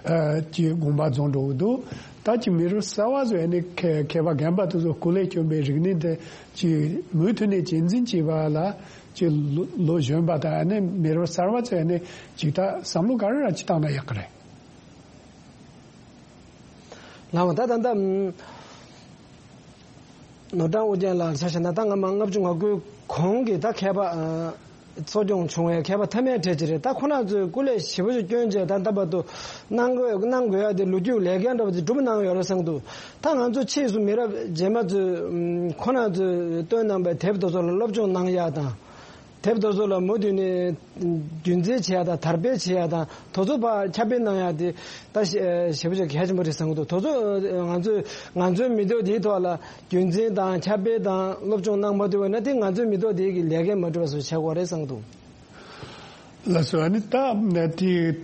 ཨ་ཅིག་དགོངས་པ་རྫོགས་འགྲོ་གི་འདུག་ད་ཅིག་མི་རབས་གསར་བ་ཚོས་ཨ་ནི་མཁས་མཁས་པ་རྒན་པ་དེ་ཚོ་སྐུ་ལས་བསྐྱོན་པའི་རིག་གནས་དེ་ཅིག་མུ་མཐུད་ནས་གཅེས་འཛིན་བྱེད་པ་ལ་ཅིག་ལོ་ལོ་གཞོན་པ་དང་། ཨ་ནི་མི་རབས་གསར་བ་ཚོས་ཨ་ནི་ཅིག་ད་བསམ་བློ་ག་རེ་ར་ཅིག་བཏང་ན་ཡག་གི་རེད། ལགས་འོང་། ད་ད་ལྟ་ནོར་བྲང་ཨོ་རྒྱན་ལགས་ཆ་བཞག་ན། ད་སྔ་མ་ལྔ་བཅུ་ང་དགུའི་གོང་གི་ད་མཁས་པ་ཨ་གསོ་སྐྱོང་བྱུང་བའི་མཁས་པ་མཐའ་མའི་གྲས་ཅིག་རེད། ད་ཁོ་རང་ཚོས་སྐུ་ལས་ཞེ་པོ་ཅིག་བསྐྱོན་བྱས། ད་ལྟ་བར་དུ་གནང་དགོས་གནང་དགོས་ཡ་དེ་ལོ་རྒྱུས་ལས་འགན་འདྲ་པོ་ཅིག་སྒྲུབ་གནང་ཡོད་རེད་བསམ་འདུག་ད་ང་ཚོ་ཕྱིས་སུ་མི་རབས་རྗེས་མ་ཚོས་ཁོ་རང་ཚོས་བཏོན་གནང་པའི་དེབ་དེ་ཚོ་ལ་སློབ་སྦྱོང་གནང་ཡ་དང་། དེབ་དེ་ཚོ་ལ་མུ་མཐུད་ནས་རྒྱུན་འཛིན་བྱེད་ཡ་དང་། དར་སྤེལ་བྱེད་ཡ་དང་། དེ་ཚོ་ཕར་ཁྱབ་སྤེལ་གནང་ཡ་དེ་ད་ཞེ་ཞེ་པོ་ཅིག་གལ་ཆེན་པོ་རེད་བསམ་གྱི་འདུག་དེ་ཚོ་ང་ཚོས་ང་ཚོའི་མི་ཐོག་འདིའི་ཐོག་ལ་རྒྱུན་འཛིན་དང་ཁྱབ་སྤེལ་དང་སློབ་སྦྱོང་གནང་མ་ཐུབ་པ་ན། དེ་ང་ཚོའི་མི་ཐོག་འདི་གི་ལས་འགན་མ་འགྲུབ་པ་བཟོ་ཆགས་ཀྱི་རེད་བསམ་གྱི་འདུག་ལགས་སོ། ཨ་ནི་ད་དེ་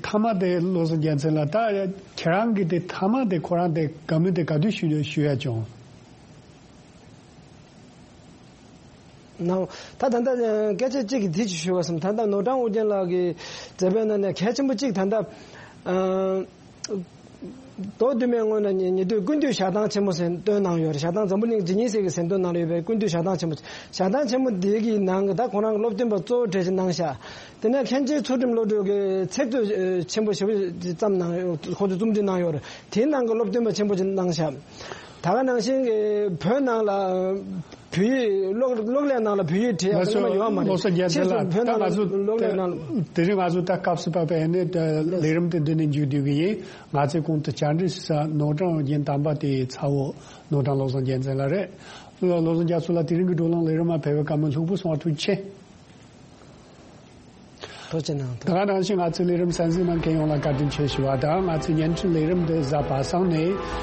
མཐའ་མ་དེ་བློ་བཟང་རྒྱལ་མཚན་ལགས། ད་ཁྱེད་རང་གི་དེ་མཐའ་མ་དེ་ཁོ་རང་དེ་བཀའ་མོལ་དེ་ག་དུས་ཞུ་ཞུ་ཡ་བྱུང་། ནའོ། ད་ད་ལྟ་སྐད་ཆ་གཅིག་གི་འདི་ཅིག་ཞུ་བ་བསམ། ད་ལྟ་ནོར་བྲང་ཨོ་རྒྱན་ལགས་ཀྱི་མཛད་པའི་ནང་ནས་གལ་ཆེན་པོ་གཅིག་ད་ལྟ་ཨ་མདོ་བདུན་མའི་སྔོན་ལ་ཉེ་ཉེ་དུས་ཀུན་བཏུས་ཞལ་ཐང་ཆེན་མོ་ཟེར་བཏོན་གནང་ཡོད་རེད། ཞལ་ཐང་འཛམ་བུ་གླིང་ཇི་ནི་སི་གི་ཟིན་ཐོ་ནང་ལ་ཡོད་པའི་ཀུན་བཏུས་ཞལ་ཐང་ཆེན་མོ། ཞལ་ཐང་ཆེན་མོ་འདི་གི་ནང་གི་ད་ཁོ་རང་གི་སློབ་སྟོན་པ་གཙོ་བོ་གྲས་ཅིག་གནང་ཤག་དེ་ནས་མཁན་ཆེན་ཚུལ་ཁྲིམས་བློ་གྲོས་ཀྱིས་ཚིག་མཛོད་ཆེན་པོ་ཞེ་པོ་ཅིག་བརྩམས་གནང་ཡོད། ཁོང་ཚོས་རྩོམ་སྒྲིག་གནང་ཡོད་རེད། དེའི་ནང་གི་སློབ་སྟོན་པ་ཆེན་པོ་ཅིག་གནང་ཤག་ད་ག་ནང་བཞིན་གྱི་བོད་ནང་ལ་བོད་ཡིག་གློག་གློག་ཀླད་ནང་ལ་བོད་ཡིག་བྲིས་ཡག་ལགས་སོ། ཡོད་མ་རེད། བློ་བཟང་རྒྱལ་མཚན་ཕྱིས་སུ་ལགས། བོད་ད་ནང་ང་ཚོ་ལ་གློག་ཀླད་ནང་ལ། དེ་རིང་ང་ཚོ་ད་སྐབས་སུ་བབས་པའི་ནི་ལས་རིམ་དེ་འདི་ནས་མཇུག་བསྡུ་གི་ཡིན། ང་ཚོས་གོང་དུ་བཅར་འདྲི་ཞུ་ས་ནོར་བྲང་ཨོ་རྒྱན་དམ་པ་དེའི་ཚ་བོ་ནོར་བྲང་བློ་བཟང་རྒྱལ་མཚན་ལགས་རེད། བློ་བཟང་རྒྱ་མཚོ་ལགས། དེ་རིང་གི་བགྲོ་གླེང་ལས་རིམ་མ་ཕེབས་པའི་བཀའ་མོལ་ལྷུག་པོ་གསུང་བ་ཐུགས་རྗེ་ཆེ། ཐུགས་རྗེ་གནང་། ད་ག་ནང་བཞིན་ང་ཚོའི་ལས་རིམ་གསན་གཟིགས་གནང་མཁན་ཡོངས་ལ་བཀའ་དྲིན་ཆེ་ཞུ་བ་དང་། ང་ཚོའི་བརྙན་འཕྲིན་ལས་རིམ་འདི་གཟའ་པ་སངས་ནས་